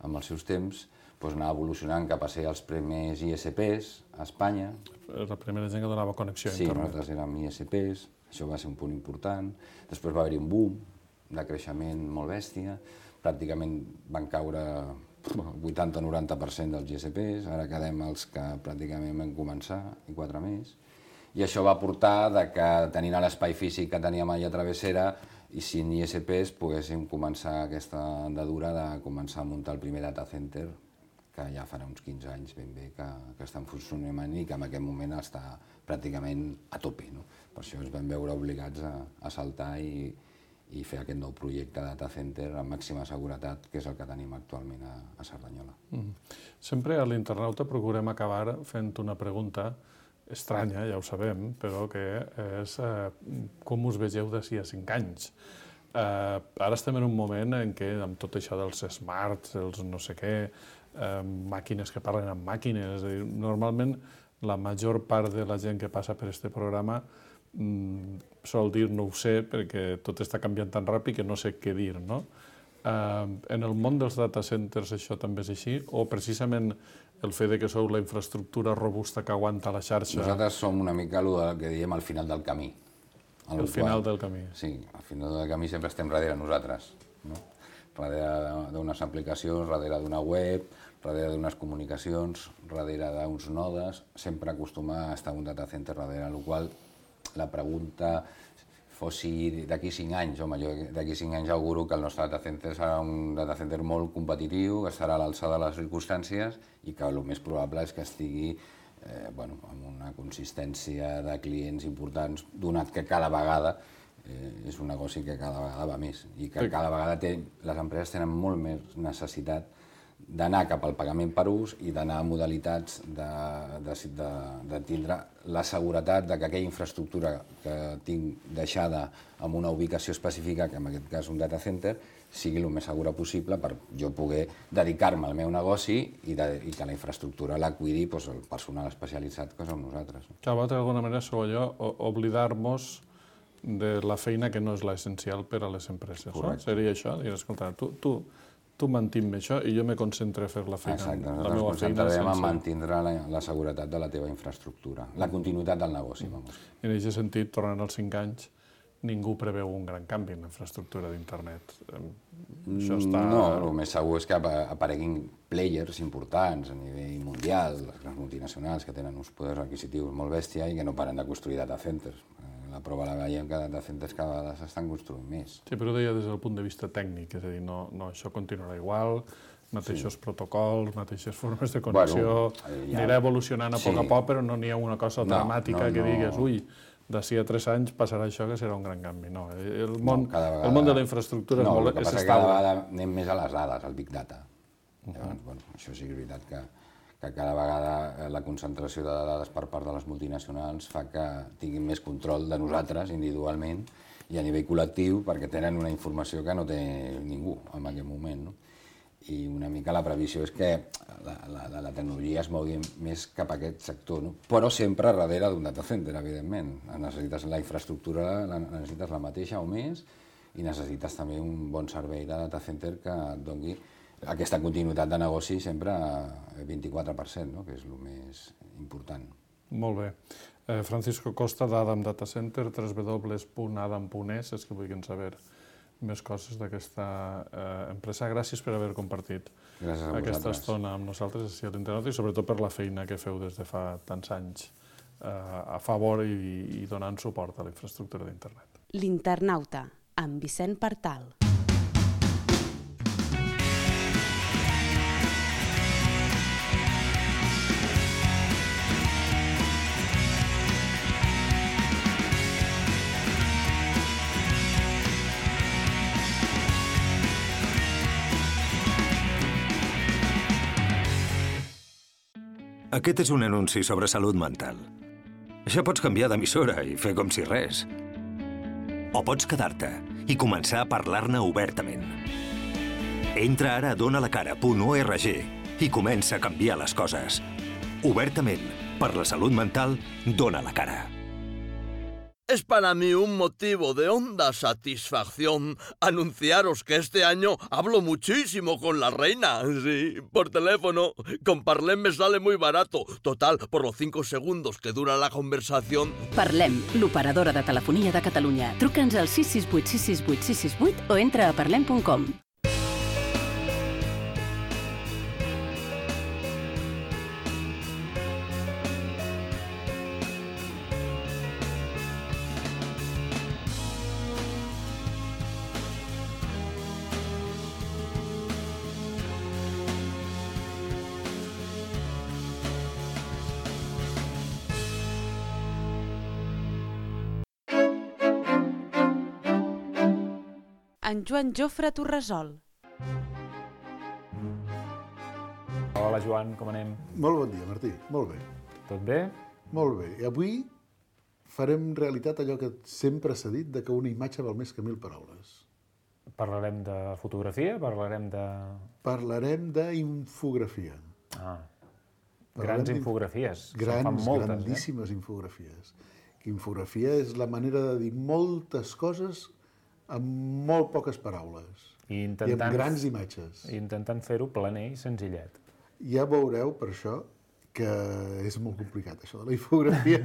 Speaker 4: amb els seus temps, doncs anar evolucionant cap a ser els primers I S Ps a Espanya.
Speaker 3: La primera gent que donava connexió a
Speaker 4: Sí,
Speaker 3: internet.
Speaker 4: nosaltres érem I S Ps, això va ser un punt important. Després va haver-hi un boom de creixement molt bèstia, pràcticament van caure el vuitanta o noranta per cent dels I S Ps, ara quedem els que pràcticament vam començar, i quatre més. I això va portar de que, tenint l'espai físic que teníem allà a Travessera, i sin I S Ps, poguéssim començar aquesta andadura de començar a muntar el primer data center, que ja farà uns quinze anys ben bé que, que està en funcionament i que en aquest moment està pràcticament a tope. No? Per això ens vam veure obligats a, a saltar i, i fer aquest nou projecte de data center amb màxima seguretat, que és el que tenim actualment a, a Cerdanyola.
Speaker 3: Mm. Sempre a l'internauta procurem acabar fent una pregunta estranya, ja ho sabem, però que és eh, com us vegeu d'ací a cinc anys. Eh, ara estem en un moment en què, amb tot això dels smarts, els no sé què, eh, màquines que parlen amb màquines, és a dir, normalment la major part de la gent que passa per este programa mm, sol dir no ho sé perquè tot està canviant tan ràpid que no sé què dir, no? Eh, en el món dels data centers això també és així? O precisament el fet de que sou la infraestructura robusta que aguanta la xarxa...
Speaker 4: Nosaltres som una mica el que diem al final del camí.
Speaker 3: El final del camí.
Speaker 4: Sí, al final del camí sempre estem darrere nosaltres, no? Darrere d'unes aplicacions, darrere d'una web, darrere d'unes comunicacions, darrere d'uns nodes, sempre acostuma a estar un data center darrere, el qual la pregunta fossi d'aquí cinc anys, home, jo d'aquí cinc anys auguro que el nostre data center serà un data center molt competitiu, que estarà a l'alçada de les circumstàncies i que el més probable és que estigui eh, bueno, amb una consistència de clients importants, donat que cada vegada eh, és un negoci que cada vegada va més i que cada vegada té, les empreses tenen molt més necessitat d'anar cap al pagament per ús i d'anar a modalitats de, de, de, de tindre la seguretat de que aquella infraestructura que tinc deixada en una ubicació específica, que en aquest cas un data center, sigui el més segura possible per jo poder dedicar-me al meu negoci i, de, i que la infraestructura la cuidi doncs, el personal especialitzat que som nosaltres.
Speaker 3: Que d'alguna manera sou allò, oblidar-nos de la feina que no és l'essencial per a les empreses. No? Seria això, dir, escolta, tu, tu, tu mantim-me això i jo me concentro a fer la feina.
Speaker 4: Exacte,
Speaker 3: la
Speaker 4: nosaltres
Speaker 3: meva
Speaker 4: ens
Speaker 3: feina
Speaker 4: concentrarem en
Speaker 3: sense...
Speaker 4: mantindre la, la seguretat de la teva infraestructura, la continuïtat del negoci. Vamos.
Speaker 3: I en aquest sentit, tornant als cinc anys, ningú preveu un gran canvi en la infraestructura d'internet. Això està...
Speaker 4: No, el més segur és que apareguin players importants a nivell mundial, les grans multinacionals que tenen uns poders adquisitius molt bèstia i que no paren de construir data centers. La prova la veiem que data centers cada vegada s'estan construint més.
Speaker 3: Sí, però ho deia des del punt de vista tècnic, és a dir, no, no, això continuarà igual, mateixos sí. protocols, mateixes formes de connexió, bueno, ja... anirà evolucionant a sí. poc a poc, però no n'hi ha una cosa no, dramàtica no, que digues, no. ui, d'ací a tres anys passarà això que serà un gran canvi. No, el món, no, vegada... el món de la infraestructura
Speaker 4: no,
Speaker 3: és molt
Speaker 4: estable. No, el que passa que cada vegada anem més a les dades, al Big Data. Uh -huh. Llavors, bueno, això sí que és veritat que, que cada vegada la concentració de dades per part de les multinacionals fa que tinguin més control de nosaltres individualment i a nivell col·lectiu perquè tenen una informació que no té ningú en aquest moment. No? I una mica la previsió és que la, la, la tecnologia es mogui més cap a aquest sector, no? Però sempre darrere d'un data center, evidentment. Necessites la infraestructura, la, necessites la mateixa o més, i necessites també un bon servei de data center que et doni aquesta continuïtat de negoci sempre a vint-i-quatre per cent, no? Que és el més important.
Speaker 3: Molt bé. Eh, Francisco Costa, d'Adam Data Center, w w w punt adam punt es, és que vulguin saber més coses d'aquesta eh, empresa. Gràcies per haver compartit aquesta estona amb nosaltres així a l'Internauta i sobretot per la feina que feu des de fa tants anys eh, a favor i, i donant suport a la infraestructura d'internet.
Speaker 1: L'Internauta, amb Vicent Partal.
Speaker 5: Aquest és un anunci sobre salut mental. Ja pots canviar d'emissora i fer com si res. O pots quedar-te i començar a parlar-ne obertament. Entra ara a donalacara punt org i comença a canviar les coses. Obertament, per la salut mental, dona la cara.
Speaker 6: Es para mí un motivo de honda satisfacción anunciaros que este año hablo muchísimo con la reina, sí, por teléfono. Con Parlem me sale muy barato. Total, por los cinco segundos que dura la conversación...
Speaker 7: Parlem, l'operadora de telefonia de Catalunya. Truca'ns al sis sis vuit sis sis vuit sis sis vuit o entra a parlem punt com.
Speaker 1: En Joan Jofre Torresol.
Speaker 2: Hola, Joan, com anem?
Speaker 8: Molt bon dia, Martí. Molt bé.
Speaker 2: Tot bé?
Speaker 8: Molt bé. I avui farem realitat allò que sempre s'ha dit, de que una imatge val més que mil paraules.
Speaker 2: Parlarem de fotografia? Parlarem de...
Speaker 8: Parlarem d'infografia.
Speaker 2: Ah, grans infografies.
Speaker 8: Grans, grandíssimes infografies. Infografia és la manera de dir moltes coses amb molt poques paraules i, intentant, i amb grans imatges.
Speaker 2: I intentant fer-ho planer i senzillet.
Speaker 8: Ja veureu, per això, que és molt complicat, això de la infografia.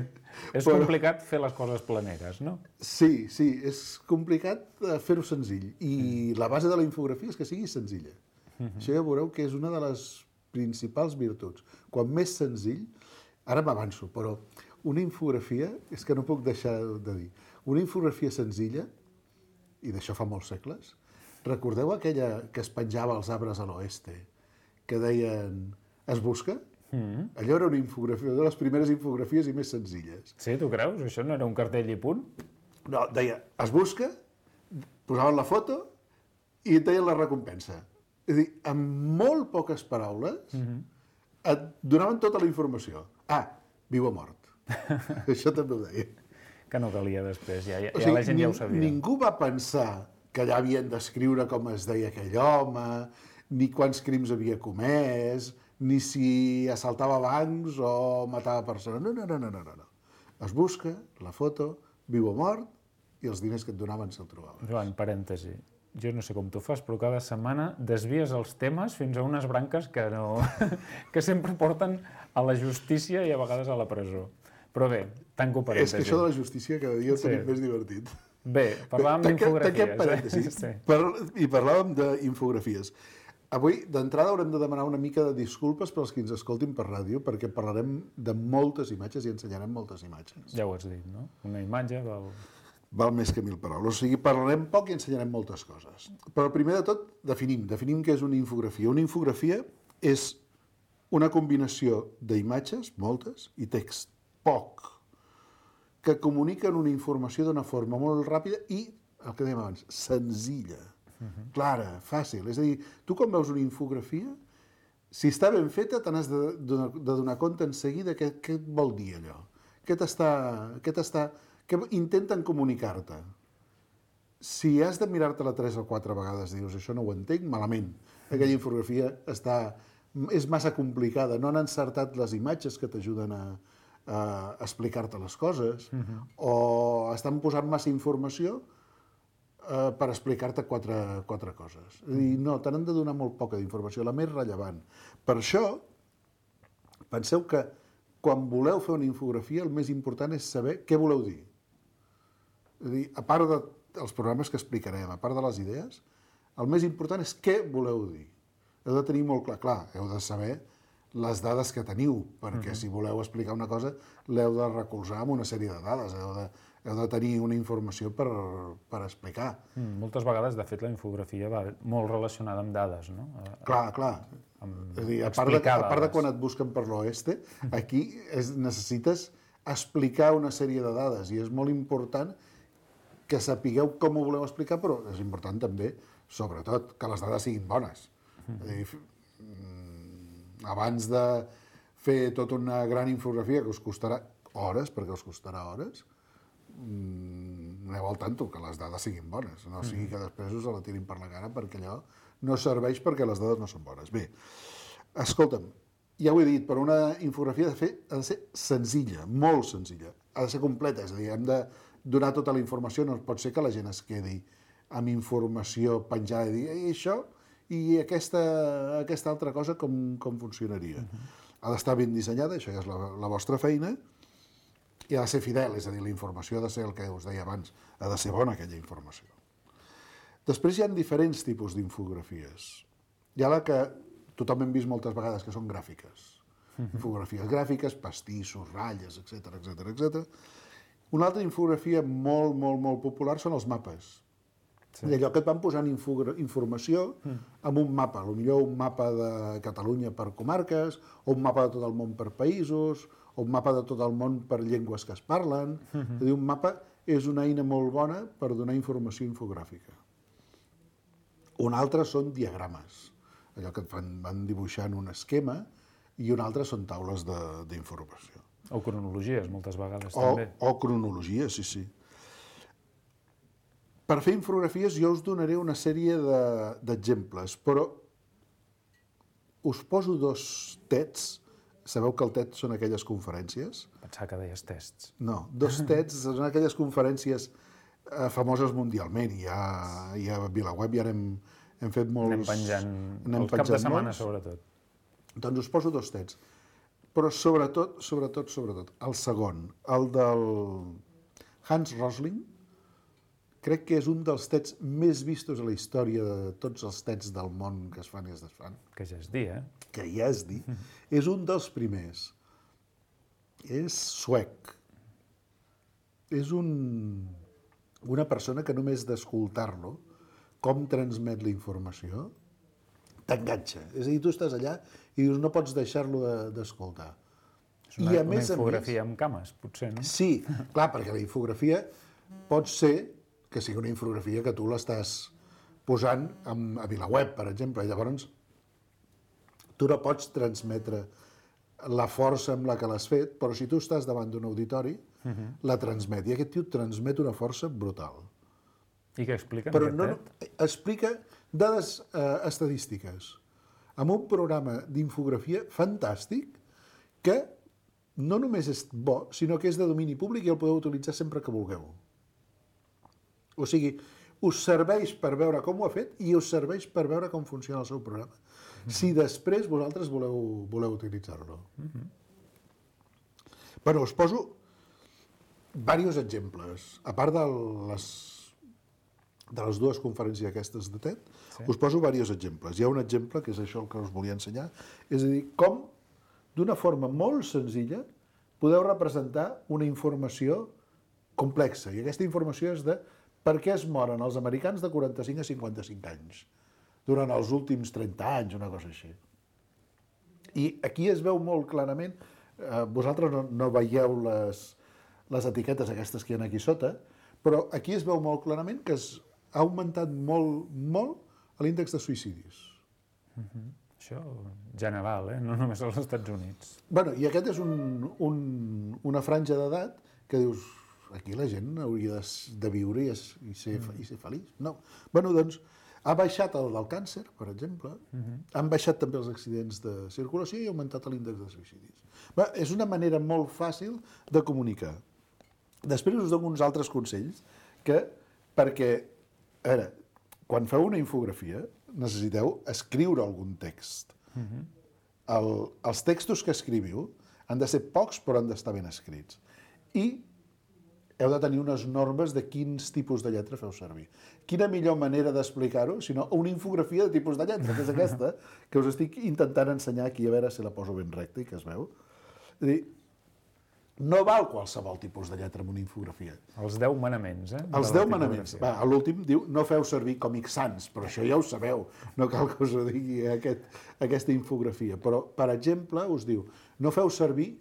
Speaker 2: És però... complicat fer les coses planeres, no?
Speaker 8: Sí, sí, és complicat fer-ho senzill. I mm. la base de la infografia és que sigui senzilla. Mm-hmm. Això ja veureu que és una de les principals virtuts. Quan més senzill, ara m'avanço, però una infografia, és que no puc deixar de dir, una infografia senzilla, i d'això fa molts segles, recordeu aquella que es penjava als arbres a l'oeste, que deien es busca? Mm. Allò era una infografia, una de les primeres infografies i més senzilles.
Speaker 2: Sí, tu creus? Això no era un cartell i punt?
Speaker 8: No, deia es busca, posaven la foto i et deien la recompensa. És a dir, amb molt poques paraules mm-hmm. et donaven tota la informació. Ah, viu o mort. Això també ho deia.
Speaker 2: Que no calia després, ja, ja, o sigui, ja la gent ja ho sabia.
Speaker 8: Ningú va pensar que allà havien d'escriure com es deia aquell home, ni quants crims havia comès, ni si assaltava bancs o matava persones. No, no, no, no, no, no. Es busca la foto, viu o mort, i els diners que et donaven se'l trobaven.
Speaker 2: Joan, parèntesi. Jo no sé com tu fas, però cada setmana desvies els temes fins a unes branques que, no... que sempre porten a la justícia i a vegades a la presó. Però bé, tanco parèntesi.
Speaker 8: És que això de la justícia cada dia ho tenim sí. més divertit.
Speaker 2: Bé, parlàvem d'infografies.
Speaker 8: Tanquem parèntesis eh? sí. per, i parlàvem d'infografies. Avui, d'entrada, haurem de demanar una mica de disculpes pels que ens escoltin per ràdio, perquè parlarem de moltes imatges i ensenyarem moltes imatges.
Speaker 2: Ja ho has dit, no? Una imatge val...
Speaker 8: val més que mil paraules. O sigui, parlarem poc i ensenyarem moltes coses. Però primer de tot, definim, definim què és una infografia. Una infografia és una combinació d'imatges, moltes, i text, poc, que comuniquen una informació d'una forma molt ràpida i, el que dèiem abans, senzilla, uh-huh. clara, fàcil. És a dir, tu quan veus una infografia, si està ben feta, te n'has de, de, de donar compte en seguida què, què et vol dir allò. Què t'està... Què t'està... Què intenten comunicar-te. Si has de mirar-te-la tres o quatre vegades i dius això no ho entenc, malament. Aquella infografia està... és massa complicada. No han encertat les imatges que t'ajuden a, a explicar-te les coses, uh-huh. o estan posant massa informació Uh, per explicar-te quatre, quatre coses. És a dir, no, te n'han de donar molt poca d'informació, la més rellevant. Per això, penseu que quan voleu fer una infografia, el més important és saber què voleu dir. És a dir, a part dels programes que explicarem, a part de les idees, el més important és què voleu dir. Heu de tenir molt clar, clar, heu de saber les dades que teniu, perquè uh-huh. si voleu explicar una cosa, l'heu de recolzar amb una sèrie de dades, heu de heu de tenir una informació per, per explicar.
Speaker 2: Mm, moltes vegades, de fet, la infografia va molt relacionada amb dades, no?
Speaker 8: Clar, clar.
Speaker 2: Amb
Speaker 8: és a dir, a part, de, a part de quan et busquen per l'oeste, aquí és, necessites explicar una sèrie de dades i és molt important que sapigueu com ho voleu explicar, però és important també, sobretot, que les dades siguin bones. Mm. És a dir, abans de fer tota una gran infografia que us costarà hores, perquè us costarà hores, aneu al tanto, que les dades siguin bones, no sigui que després us la tirin per la cara perquè allò no serveix perquè les dades no són bones. Bé, escolta'm, ja ho he dit, però una infografia ha de, fer, ha de ser senzilla, molt senzilla, ha de ser completa, és a dir, hem de donar tota la informació, no pot ser que la gent es quedi amb informació penjada i dir, i això, i aquesta, aquesta altra cosa com, com funcionaria. Uh-huh. Ha d'estar ben dissenyada, això ja és la, la vostra feina, i ha de ser fidel, és a dir, la informació ha de ser el que us deia abans, ha de ser bona aquella informació. Després hi ha diferents tipus d'infografies. Hi ha la que tothom hem vist moltes vegades, que són gràfiques. Uh-huh. Infografies gràfiques, pastissos, ratlles, etcètera, etcètera, etcètera. Una altra infografia molt, molt, molt popular són els mapes. Sí. Allò que et van posant informació amb un mapa, potser un mapa de Catalunya per comarques, o un mapa de tot el món per països, o un mapa de tot el món per llengües que es parlen. Uh-huh. És a dir, un mapa és una eina molt bona per donar informació infogràfica. Un altre són diagrames, allò que et van, van dibuixant un esquema, i un altre són taules d'informació.
Speaker 2: O cronologies, moltes vegades,
Speaker 8: o,
Speaker 2: també.
Speaker 8: O cronologies, sí, sí. Per fer infografies jo us donaré una sèrie d'exemples, de, però us poso dos tets. Sabeu que el TED són aquelles conferències?
Speaker 2: Pensava que deies tests.
Speaker 8: No, dos TEDs són aquelles conferències eh, famoses mundialment. I a, i a VilaWeb ja hem, hem fet molts...
Speaker 2: Anem penjant, el cap de setmana, sobretot.
Speaker 8: Doncs us poso dos TEDs. Però sobretot, sobretot, sobretot, el segon, el del Hans Rosling, crec que és un dels TEDs més vistos a la història de tots els TEDs del món que es fan i es desfan.
Speaker 2: Que ja es dir, eh?
Speaker 8: Que ja es dir. És un dels primers. És suec. És un, una persona que només d'escoltar-lo, com transmet la informació, t'enganxa. És a dir, tu estàs allà i dius, no pots deixar-lo d'escoltar.
Speaker 2: És una, I a una més, infografia a més, amb cames, potser, no?
Speaker 8: Sí, clar, perquè la infografia pot ser que sigui una infografia que tu l'estàs posant a VilaWeb, per exemple, i llavors tu no pots transmetre la força amb la que l'has fet, però si tu estàs davant d'un auditori, uh-huh. la transmet, i aquest tio transmet una força brutal.
Speaker 2: I què explica en
Speaker 8: però
Speaker 2: aquest
Speaker 8: no,
Speaker 2: TED?
Speaker 8: Explica dades eh, estadístiques, amb un programa d'infografia fantàstic que no només és bo, sinó que és de domini públic i el podeu utilitzar sempre que vulgueu. O sigui, us serveix per veure com ho ha fet i us serveix per veure com funciona el seu programa. Mm-hmm. Si després vosaltres voleu, voleu utilitzar-lo. Mm-hmm. Bueno, us poso diversos exemples. A part de les, de les dues conferències aquestes de TED, sí. us poso diversos exemples. Hi ha un exemple, que és això el que us volia ensenyar, és a dir, com d'una forma molt senzilla podeu representar una informació complexa. I aquesta informació és de per què es moren els americans de quaranta-cinc a cinquanta-cinc anys durant els últims trenta anys, una cosa així. I aquí es veu molt clarament, eh, vosaltres no, no veieu les, les etiquetes aquestes que hi ha aquí sota, però aquí es veu molt clarament que es ha augmentat molt, molt l'índex de suïcidis.
Speaker 2: Uh-huh. Això general, eh? No només als Estats Units.
Speaker 8: Bueno, i aquest és un, un, una franja d'edat que dius, aquí la gent hauria de, de viure i, es, i, ser, mm. i ser feliç. No. Bueno, doncs, ha baixat el del càncer, per exemple, uh-huh. han baixat també els accidents de circulació i ha augmentat l'índex de suïcidis. Bé, és una manera molt fàcil de comunicar. Després us dono uns altres consells que, perquè, a veure, quan feu una infografia, necessiteu escriure algun text. Uh-huh. El, els textos que escriviu han de ser pocs, però han d'estar ben escrits. I heu de tenir unes normes de quins tipus de lletra feu servir. Quina millor manera d'explicar-ho, sinó una infografia de tipus de lletra, que és aquesta, que us estic intentant ensenyar aquí, a veure si la poso ben recta i que es veu. És a dir, no val qualsevol tipus de lletra en una infografia.
Speaker 2: Els deu manaments, eh?
Speaker 8: Els deu manaments. Va, a l'últim diu, no feu servir còmics sans, però això ja ho sabeu, no cal que us ho digui aquest, aquesta infografia. Però, per exemple, us diu, no feu servir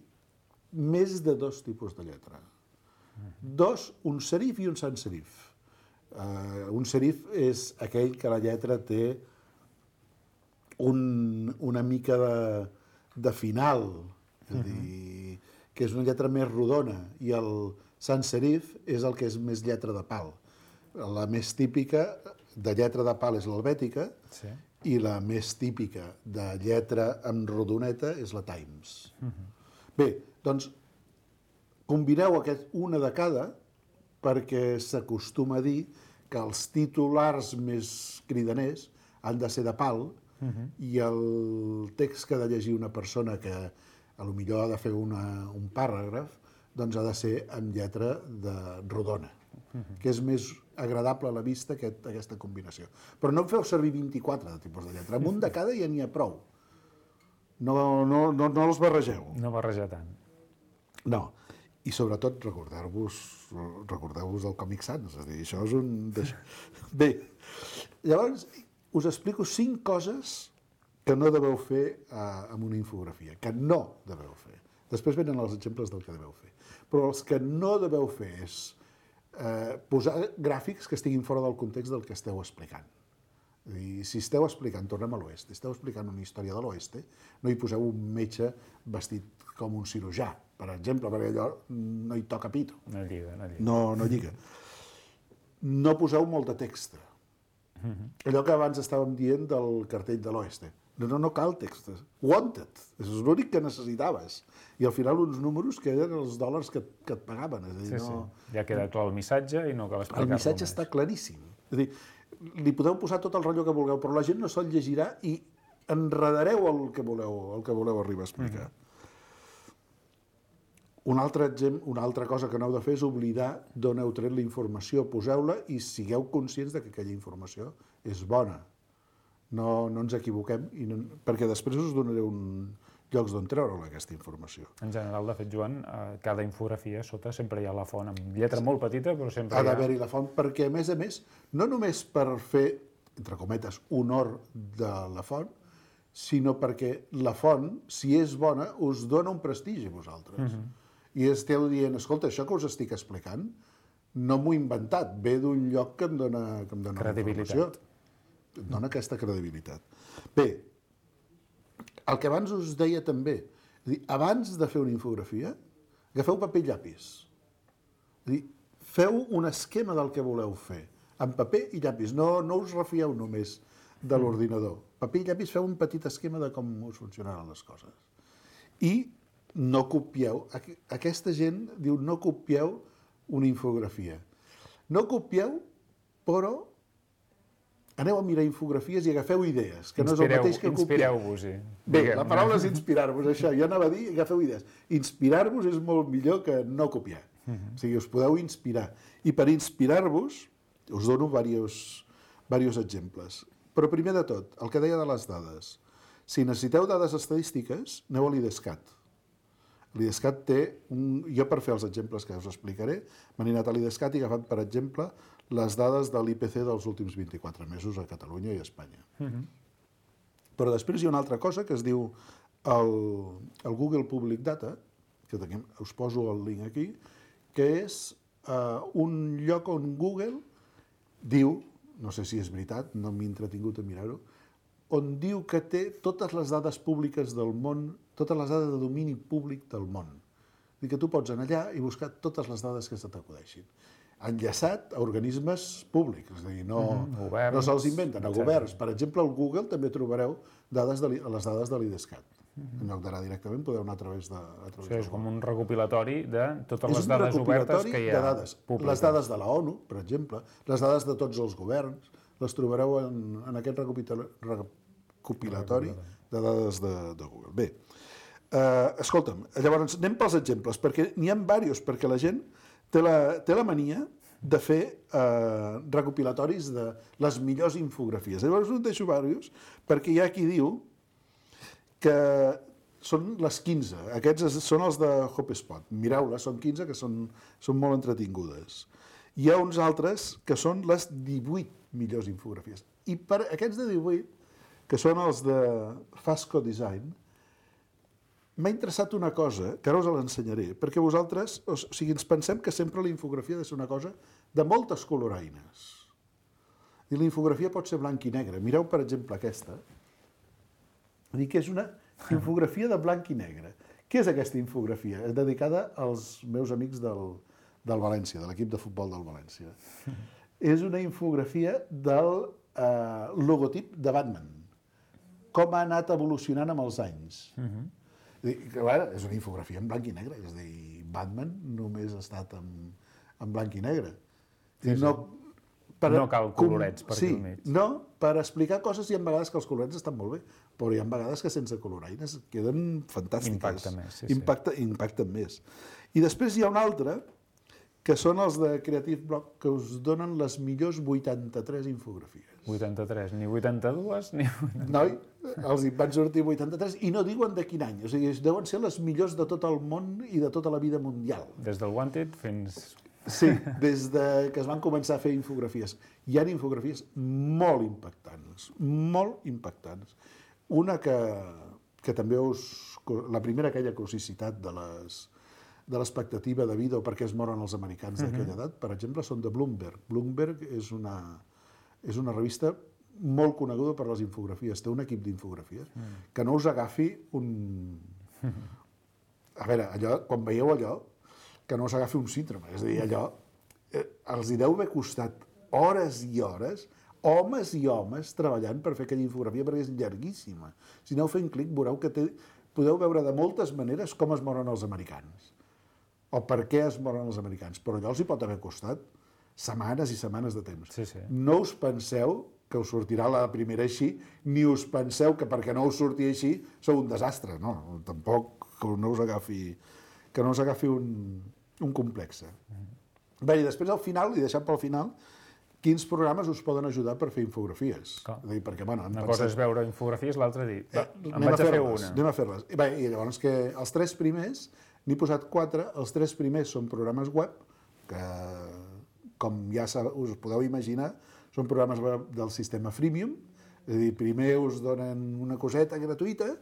Speaker 8: més de dos tipus de lletra. Dos, un serif i un sans serif. Uh, un serif és aquell que la lletra té un, una mica de, de final, és a dir, que és una lletra més rodona, i el sans serif és el que és més lletra de pal. La més típica de lletra de pal és l'helvètica, sí. I la més típica de lletra amb rodoneta és la Times. Uh-huh. Bé, doncs, combineu aquest, una de cada, perquè s'acostuma a dir que els titulars més cridaners han de ser de pal, uh-huh. I el text que ha de llegir una persona que a lo millor ha de fer una, un paràgraf, doncs ha de ser amb lletra de rodona, uh-huh. Que és més agradable a la vista aquest, aquesta combinació. Però no en feu servir vint-i-quatre de tipus de lletra, amb un de cada ja n'hi ha prou. No, no, no, no els barregeu.
Speaker 2: No barrejar tant.
Speaker 8: No, i sobretot recordeu-vos recordeu-vos del Còmic Sans, és a dir, això és un... Bé, llavors us explico cinc coses que no deveu fer eh, amb una infografia, que no deveu fer. Després venen els exemples del que deveu fer. Però els que no deveu fer és eh, posar gràfics que estiguin fora del context del que esteu explicant. És a dir, si esteu explicant, tornem a l'oest, esteu explicant una història de l'oest, no hi poseu un metge vestit com un cirurgià, per exemple, perquè allò no hi toca pito.
Speaker 2: No lliga, no lliga.
Speaker 8: No, no lliga. No poseu molt de text. Uh-huh. Allò que abans estàvem dient del cartell de l'oest. No, no, no cal text. Wanted. És l'únic que necessitaves. I al final uns números que eren els dòlars que, que et pagaven. És a dir,
Speaker 2: sí,
Speaker 8: no...
Speaker 2: sí. Ja queda clar el missatge i no cal explicar-lo
Speaker 8: El missatge
Speaker 2: més.
Speaker 8: Està claríssim. És a dir, li podeu posar tot el rotllo que vulgueu, però la gent no se'l llegirà i enredareu el que voleu, el que voleu arribar a explicar. Mm-hmm. Un altre exemple, una altra cosa que no heu de fer és oblidar d'on heu tret la informació. Poseu-la i sigueu conscients de que aquella informació és bona. No, no ens equivoquem, i no, perquè després us donaré un llocs d'on treure aquesta informació.
Speaker 2: En general, de fet, Joan, cada infografia sota sempre hi ha la font, amb lletra molt petita, però sempre
Speaker 8: ha
Speaker 2: hi ha...
Speaker 8: d'haver-hi la font, perquè, a més a més, no només per fer, entre cometes, honor de la font, sinó perquè la font, si és bona, us dona un prestigi a vosaltres. Uh-huh. I esteu dient, escolta, això que us estic explicant, no m'ho he inventat, ve d'un lloc que em dona, que em dona informació. Et dona aquesta credibilitat. Bé, el que abans us deia també, abans de fer una infografia, agafeu paper i llapis. Feu un esquema del que voleu fer, amb paper i llapis. No, no us refieu només de l'ordinador. Paper i llapis, feu un petit esquema de com us funcionaran les coses. I no copieu. Aquesta gent diu no copieu una infografia. No copieu, però aneu a mirar infografies i agafeu idees, que no és el mateix que copiar.
Speaker 2: Inspireu-vos-hi.
Speaker 8: Bé, la paraula és inspirar-vos, això. Jo anava a dir, agafeu idees. Inspirar-vos és molt millor que no copiar. Uh-huh. O sigui, us podeu inspirar. I per inspirar-vos, us dono diversos, diversos exemples. Però primer de tot, el que deia de les dades. Si necessiteu dades estadístiques, aneu a l'IDESCAT. L'IDESCAT té, un... jo per fer els exemples que us explicaré, m'he anat a l'IDESCAT i he agafat, per exemple, les dades de l'I P C dels últims vint-i-quatre mesos a Catalunya i a Espanya. Uh-huh. Però després hi ha una altra cosa que es diu el, el Google Public Data, que tenim, us poso el link aquí, que és uh, un lloc on Google diu, no sé si és veritat, no m'he entretingut a mirar-ho, on diu que té totes les dades públiques del món, totes les dades de domini públic del món. Vull dir que tu pots anar allà i buscar totes les dades que se t'acudeixin. Enllaçat a organismes públics, és a dir, no, mm, governs, no se'ls inventen, a governs. Per exemple, al Google també trobareu dades de les dades de l'IDESCAT. Mm-hmm. En lloc d'anar directament, podeu anar a través de... A través
Speaker 2: Això és com un recopilatori de totes
Speaker 8: és
Speaker 2: les dades obertes que hi ha.
Speaker 8: De dades. Les dades de la ONU, per exemple, les dades de tots els governs, les trobareu en, en aquest recopilatori de dades de, de Google. Bé, uh, escolta'm, llavors anem pels exemples, perquè n'hi ha diversos, perquè la gent té la, té la mania de fer uh, recopilatoris de les millors infografies. Llavors us deixo diversos, perquè hi ha qui diu que són les quinze. Aquests són els de HubSpot. Mireu-les, són quinze, que són, són molt entretingudes. Hi ha uns altres que són les divuit millors infografies. I per aquests de divuit, que són els de Fasco Design, m'ha interessat una cosa, que ara us l'ensenyaré, perquè vosaltres, o sigui, ens pensem que sempre la infografia ha de ser una cosa de moltes coloraines. I la infografia pot ser blanc i negre. Mireu, per exemple, aquesta. Vull dir que és una infografia de blanc i negre. Què és aquesta infografia? És dedicada als meus amics del, del València, de l'equip de futbol del València. És una infografia del eh, logotip de Batman. Com ha anat evolucionant amb els anys. Uh-huh. I, clar, és una infografia en blanc i negre. És a dir, Batman només ha estat en, en blanc i negre.
Speaker 2: Sí, sí. No, per, no cal colorets per
Speaker 8: sí,
Speaker 2: aquí al mig.
Speaker 8: No, per explicar coses hi ha vegades que els colorets estan molt bé, però hi ha vegades que sense coloraines queden fantàstiques.
Speaker 2: Impacta més, sí,
Speaker 8: Impacta, sí. Impacten més. I després hi ha un altre, que són els de Creative Block, que us donen les millors vuitanta-tres infografies.
Speaker 2: vuitanta-tres, ni vuitanta-dues, ni...
Speaker 8: Noi, els hi van sortir vuitanta-tres i no diuen de quin any. O sigui, deuen ser les millors de tot el món i de tota la vida mundial.
Speaker 2: Des del Wanted fins...
Speaker 8: Sí, des de que es van començar a fer infografies. Hi ha infografies molt impactants, molt impactants. Una que, que també us... La primera, aquella que us he citat de les... de l'expectativa de vida o per què es moren els americans d'aquella edat, per exemple, són de Bloomberg. Bloomberg és una, és una revista molt coneguda per les infografies, té un equip d'infografies, mm. que no us agafi un... A veure, allò, quan veieu allò, que no us agafi un síndrome, és a dir, allò, eh, els hi deu haver costat hores i hores, homes i homes treballant per fer aquella infografia, perquè és llarguíssima. Si aneu fent clic, veureu que té, podeu veure de moltes maneres com es moren els americans o per què es moren els americans, però allò els hi pot haver costat setmanes i setmanes de temps.
Speaker 2: Sí, sí.
Speaker 8: No us penseu que us sortirà la primera així, ni us penseu que perquè no us surti així sou un desastre, no, tampoc que no us agafi, que no us agafi un, un complexe. Mm-hmm. Bé, i després al final, i deixant pel final, quins programes us poden ajudar per fer infografies?
Speaker 2: Clar.
Speaker 8: Dir, perquè, bueno,
Speaker 2: una
Speaker 8: pensat...
Speaker 2: cosa és veure infografies, l'altra dir, va,
Speaker 8: eh,
Speaker 2: em vaig a fer
Speaker 8: una. Anem a fer-les. I, bé, i llavors que els tres primers, n'he posat quatre, els tres primers són programes web, que com ja us podeu imaginar, són programes web del sistema freemium, és a dir, primer us donen una coseta gratuïta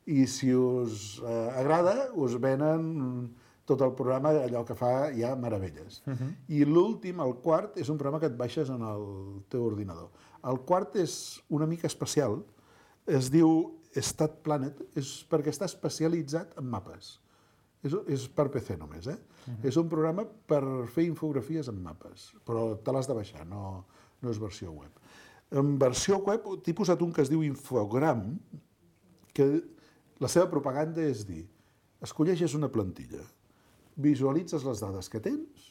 Speaker 8: i si us eh, agrada us venen tot el programa, allò que fa ja meravelles. Uh-huh. I l'últim, el quart, és un programa que et baixes en el teu ordinador. El quart és una mica especial, es diu Stat Planet, és perquè està especialitzat en mapes. És, és per P C només, eh? Uh-huh. És un programa per fer infografies en mapes, però te l'has de baixar, no, no és versió web. En versió web t'he posat un que es diu Infogram, que la seva propaganda és dir, escolleixes una plantilla, visualitzes les dades que tens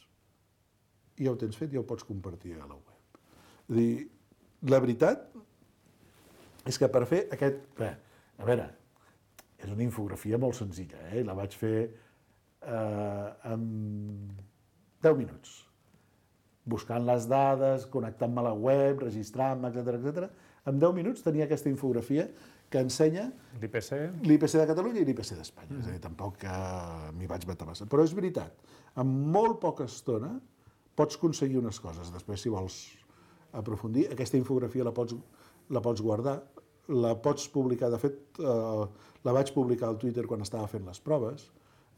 Speaker 8: i ja ho tens fet i ja ho pots compartir a la web. És a dir, la veritat és que per fer aquest... Bé, a veure, és una infografia molt senzilla, eh? La vaig fer eh, en deu minuts. Buscant les dades, connectant-me a la web, registrant-me, etcètera, etcètera. En deu minuts tenia aquesta infografia que ensenya
Speaker 2: l'I P C
Speaker 8: l'I P C de Catalunya i l'I P C d'Espanya. Mm. És a dir, tampoc que m'hi vaig matar massa. Però és veritat, en molt poca estona pots aconseguir unes coses. Després, si vols aprofundir, aquesta infografia la pots, la pots guardar, la pots publicar. De fet, eh, la vaig publicar al Twitter quan estava fent les proves,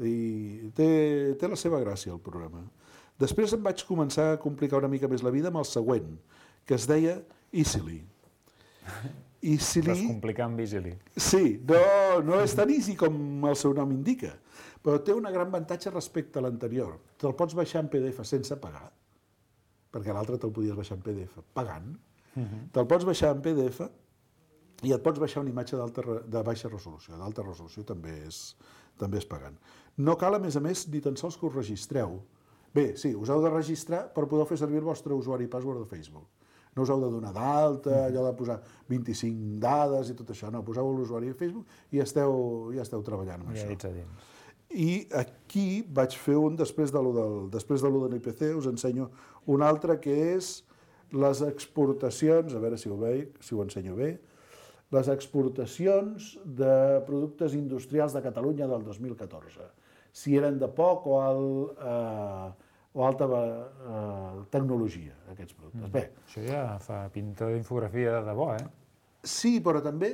Speaker 8: i té, té la seva gràcia, el programa. Després em vaig començar a complicar una mica més la vida amb el següent, que es deia Easily. Easily...
Speaker 2: Descomplicar amb Easily.
Speaker 8: Sí, no, no és tan easy com el seu nom indica, però té una gran avantatge respecte a l'anterior. Te'l pots baixar en P D F sense pagar, perquè l'altre te'l podies baixar en P D F pagant. Uh-huh. Te'l pots baixar en P D F i et pots baixar una imatge de baixa resolució. D'alta resolució també és, també és pagant. No cal, a més a més, ni tan sols que us registreu. Bé, sí, us heu de registrar per poder fer servir el vostre usuari i password de Facebook. No us heu de donar d'alta, allò de posar vint-i-cinc dades i tot això, no, poseu l'usuari a Facebook i ja esteu, ja esteu treballant amb
Speaker 2: ja
Speaker 8: això.
Speaker 2: ets a dins.
Speaker 8: I aquí vaig fer un, després de l'u del, després de l'u de l'I P C, us ensenyo un altre que és les exportacions, a veure si ho veig, si ho ensenyo bé, les exportacions de productes industrials de Catalunya del dos mil catorze. Si eren de poc o, al, eh, o alta eh, tecnologia, aquests productes. Mm. Bé,
Speaker 2: això ja fa pinta d'infografia de debò, eh?
Speaker 8: Sí, però també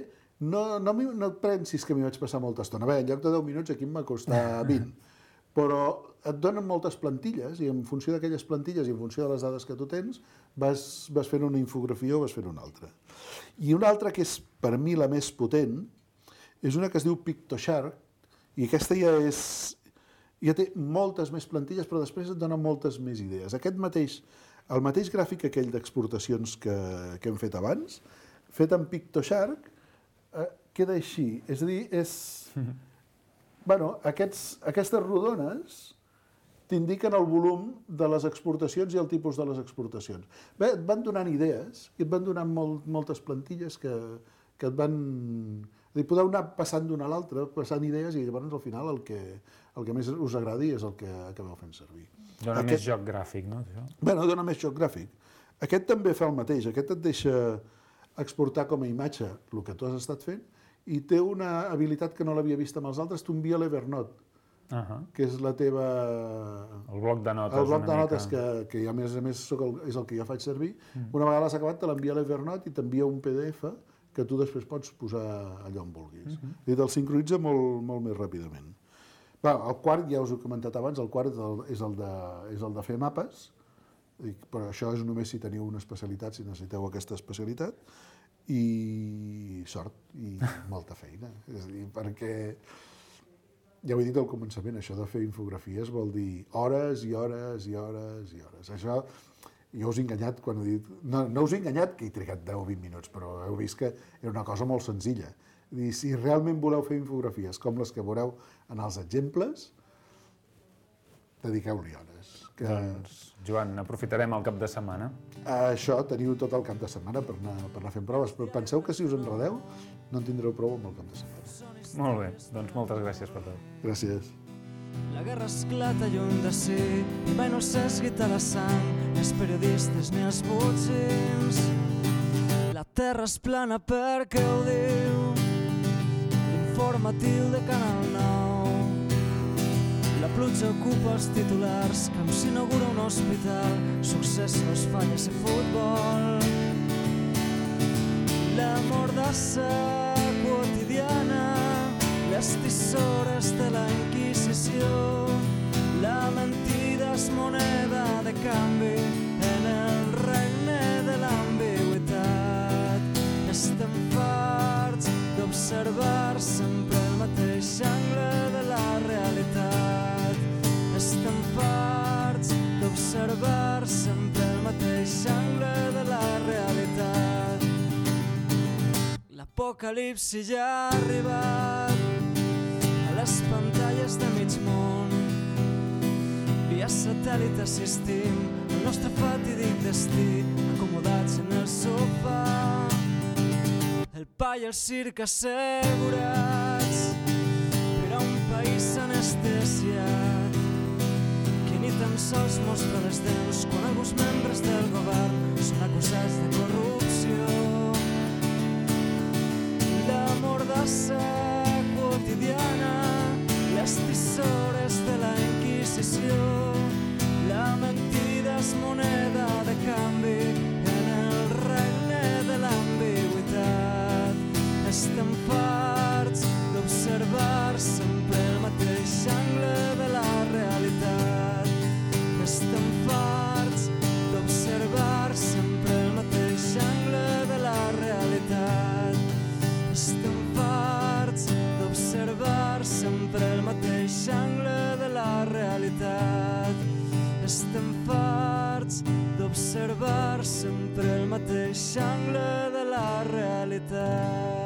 Speaker 8: no, no, no et pensis que m'hi vaig passar molta estona. Bé, en lloc de deu minuts aquí em va costar vint. Però et donen moltes plantilles i en funció d'aquelles plantilles i en funció de les dades que tu tens vas, vas fent una infografia o vas fent una altra. I una altra que és per mi la més potent és una que es diu PictoShark i aquesta ja és... ja té moltes més plantilles, però després et donen moltes més idees. Aquest mateix, el mateix gràfic aquell d'exportacions que, que hem fet abans, fet amb PictoShark, eh, queda així. És a dir, és... Mm-hmm. Bueno, aquests, aquestes rodones t'indiquen el volum de les exportacions i el tipus de les exportacions. Bé, et van donant idees i et van donant molt, moltes plantilles que, que et van... És a dir, podeu anar passant d'una a l'altra, passant idees, i llavors al final el que, el que més us agradi és el que acabeu fent servir.
Speaker 2: Dona Aquest... més joc gràfic, no?
Speaker 8: Bé, no dona més joc gràfic. Aquest també fa el mateix. Aquest et deixa exportar com a imatge el que tu has estat fent i té una habilitat que no l'havia vist amb els altres, t'envia l'Evernote, uh-huh. que és la teva...
Speaker 2: El bloc de notes.
Speaker 8: El bloc de notes mica... que, que a més a més el, és el que jo faig servir. Mm. Una vegada l'has acabat, te l'envia l'Evernote i t'envia un P D F que tu després pots posar allà on vulguis. Uh-huh. I te'l sincronitza molt, molt més ràpidament. Va, el quart, ja us ho he comentat abans, el quart és el de, és el de fer mapes, però això és només si teniu una especialitat, si necessiteu aquesta especialitat, i sort, i molta feina. És a dir, perquè, ja ho he dit al començament, això de fer infografies vol dir hores i hores i hores i hores. Això... Jo us he enganyat quan he dit... No, no us he enganyat que he trigat deu o vint minuts, però heu vist que era una cosa molt senzilla. I si realment voleu fer infografies com les que veureu en els exemples, dediqueu-li hores. Que...
Speaker 2: Doncs, Joan, aprofitarem el cap de setmana.
Speaker 8: Això, teniu tot el cap de setmana per anar, per anar fent proves, però penseu que si us enredeu no en tindreu prou amb el cap de setmana.
Speaker 2: Molt bé, doncs moltes gràcies per tot.
Speaker 8: Gràcies.
Speaker 9: La guerra esclata lluny de si i mai no s'esguita la sang, ni els periodistes ni els botxins. La terra és plana perquè ho diu l'informatiu de Canal nou. La pluja ocupa els titulars com s'inaugura un hospital, successos, falles i futbol. La mordassa quotidiana, les tisores de la Inquisició, la mentida és moneda de canvi en el regne de l'ambigüitat. Estem farts d'observar sempre el mateix angle de la realitat. Estem farts d'observar sempre el mateix angle de la realitat. L'apocalipsi ja ha arribat a les pantalles de mig món. Via satèl·lit assistim al nostre fatídic destí, acomodats en el sofà. El pa i el circ assegurats per a un país anestesiat que ni tan sols mostra les dents quan alguns membres del govern són acusats de corrupció. L'amor massa quotidiana, les tisores de la Inquisició, la mentida és moneda de canvi en el regne de l'ambigüitat. Estem farts d'observar sempre el mateix angle de la realitat. Estem farts d'observar sempre el mateix angle de la realitat. Estem farts d'observar sempre el mateix angle de la realitat. Estem farts d'observar sempre el mateix angle de la realitat.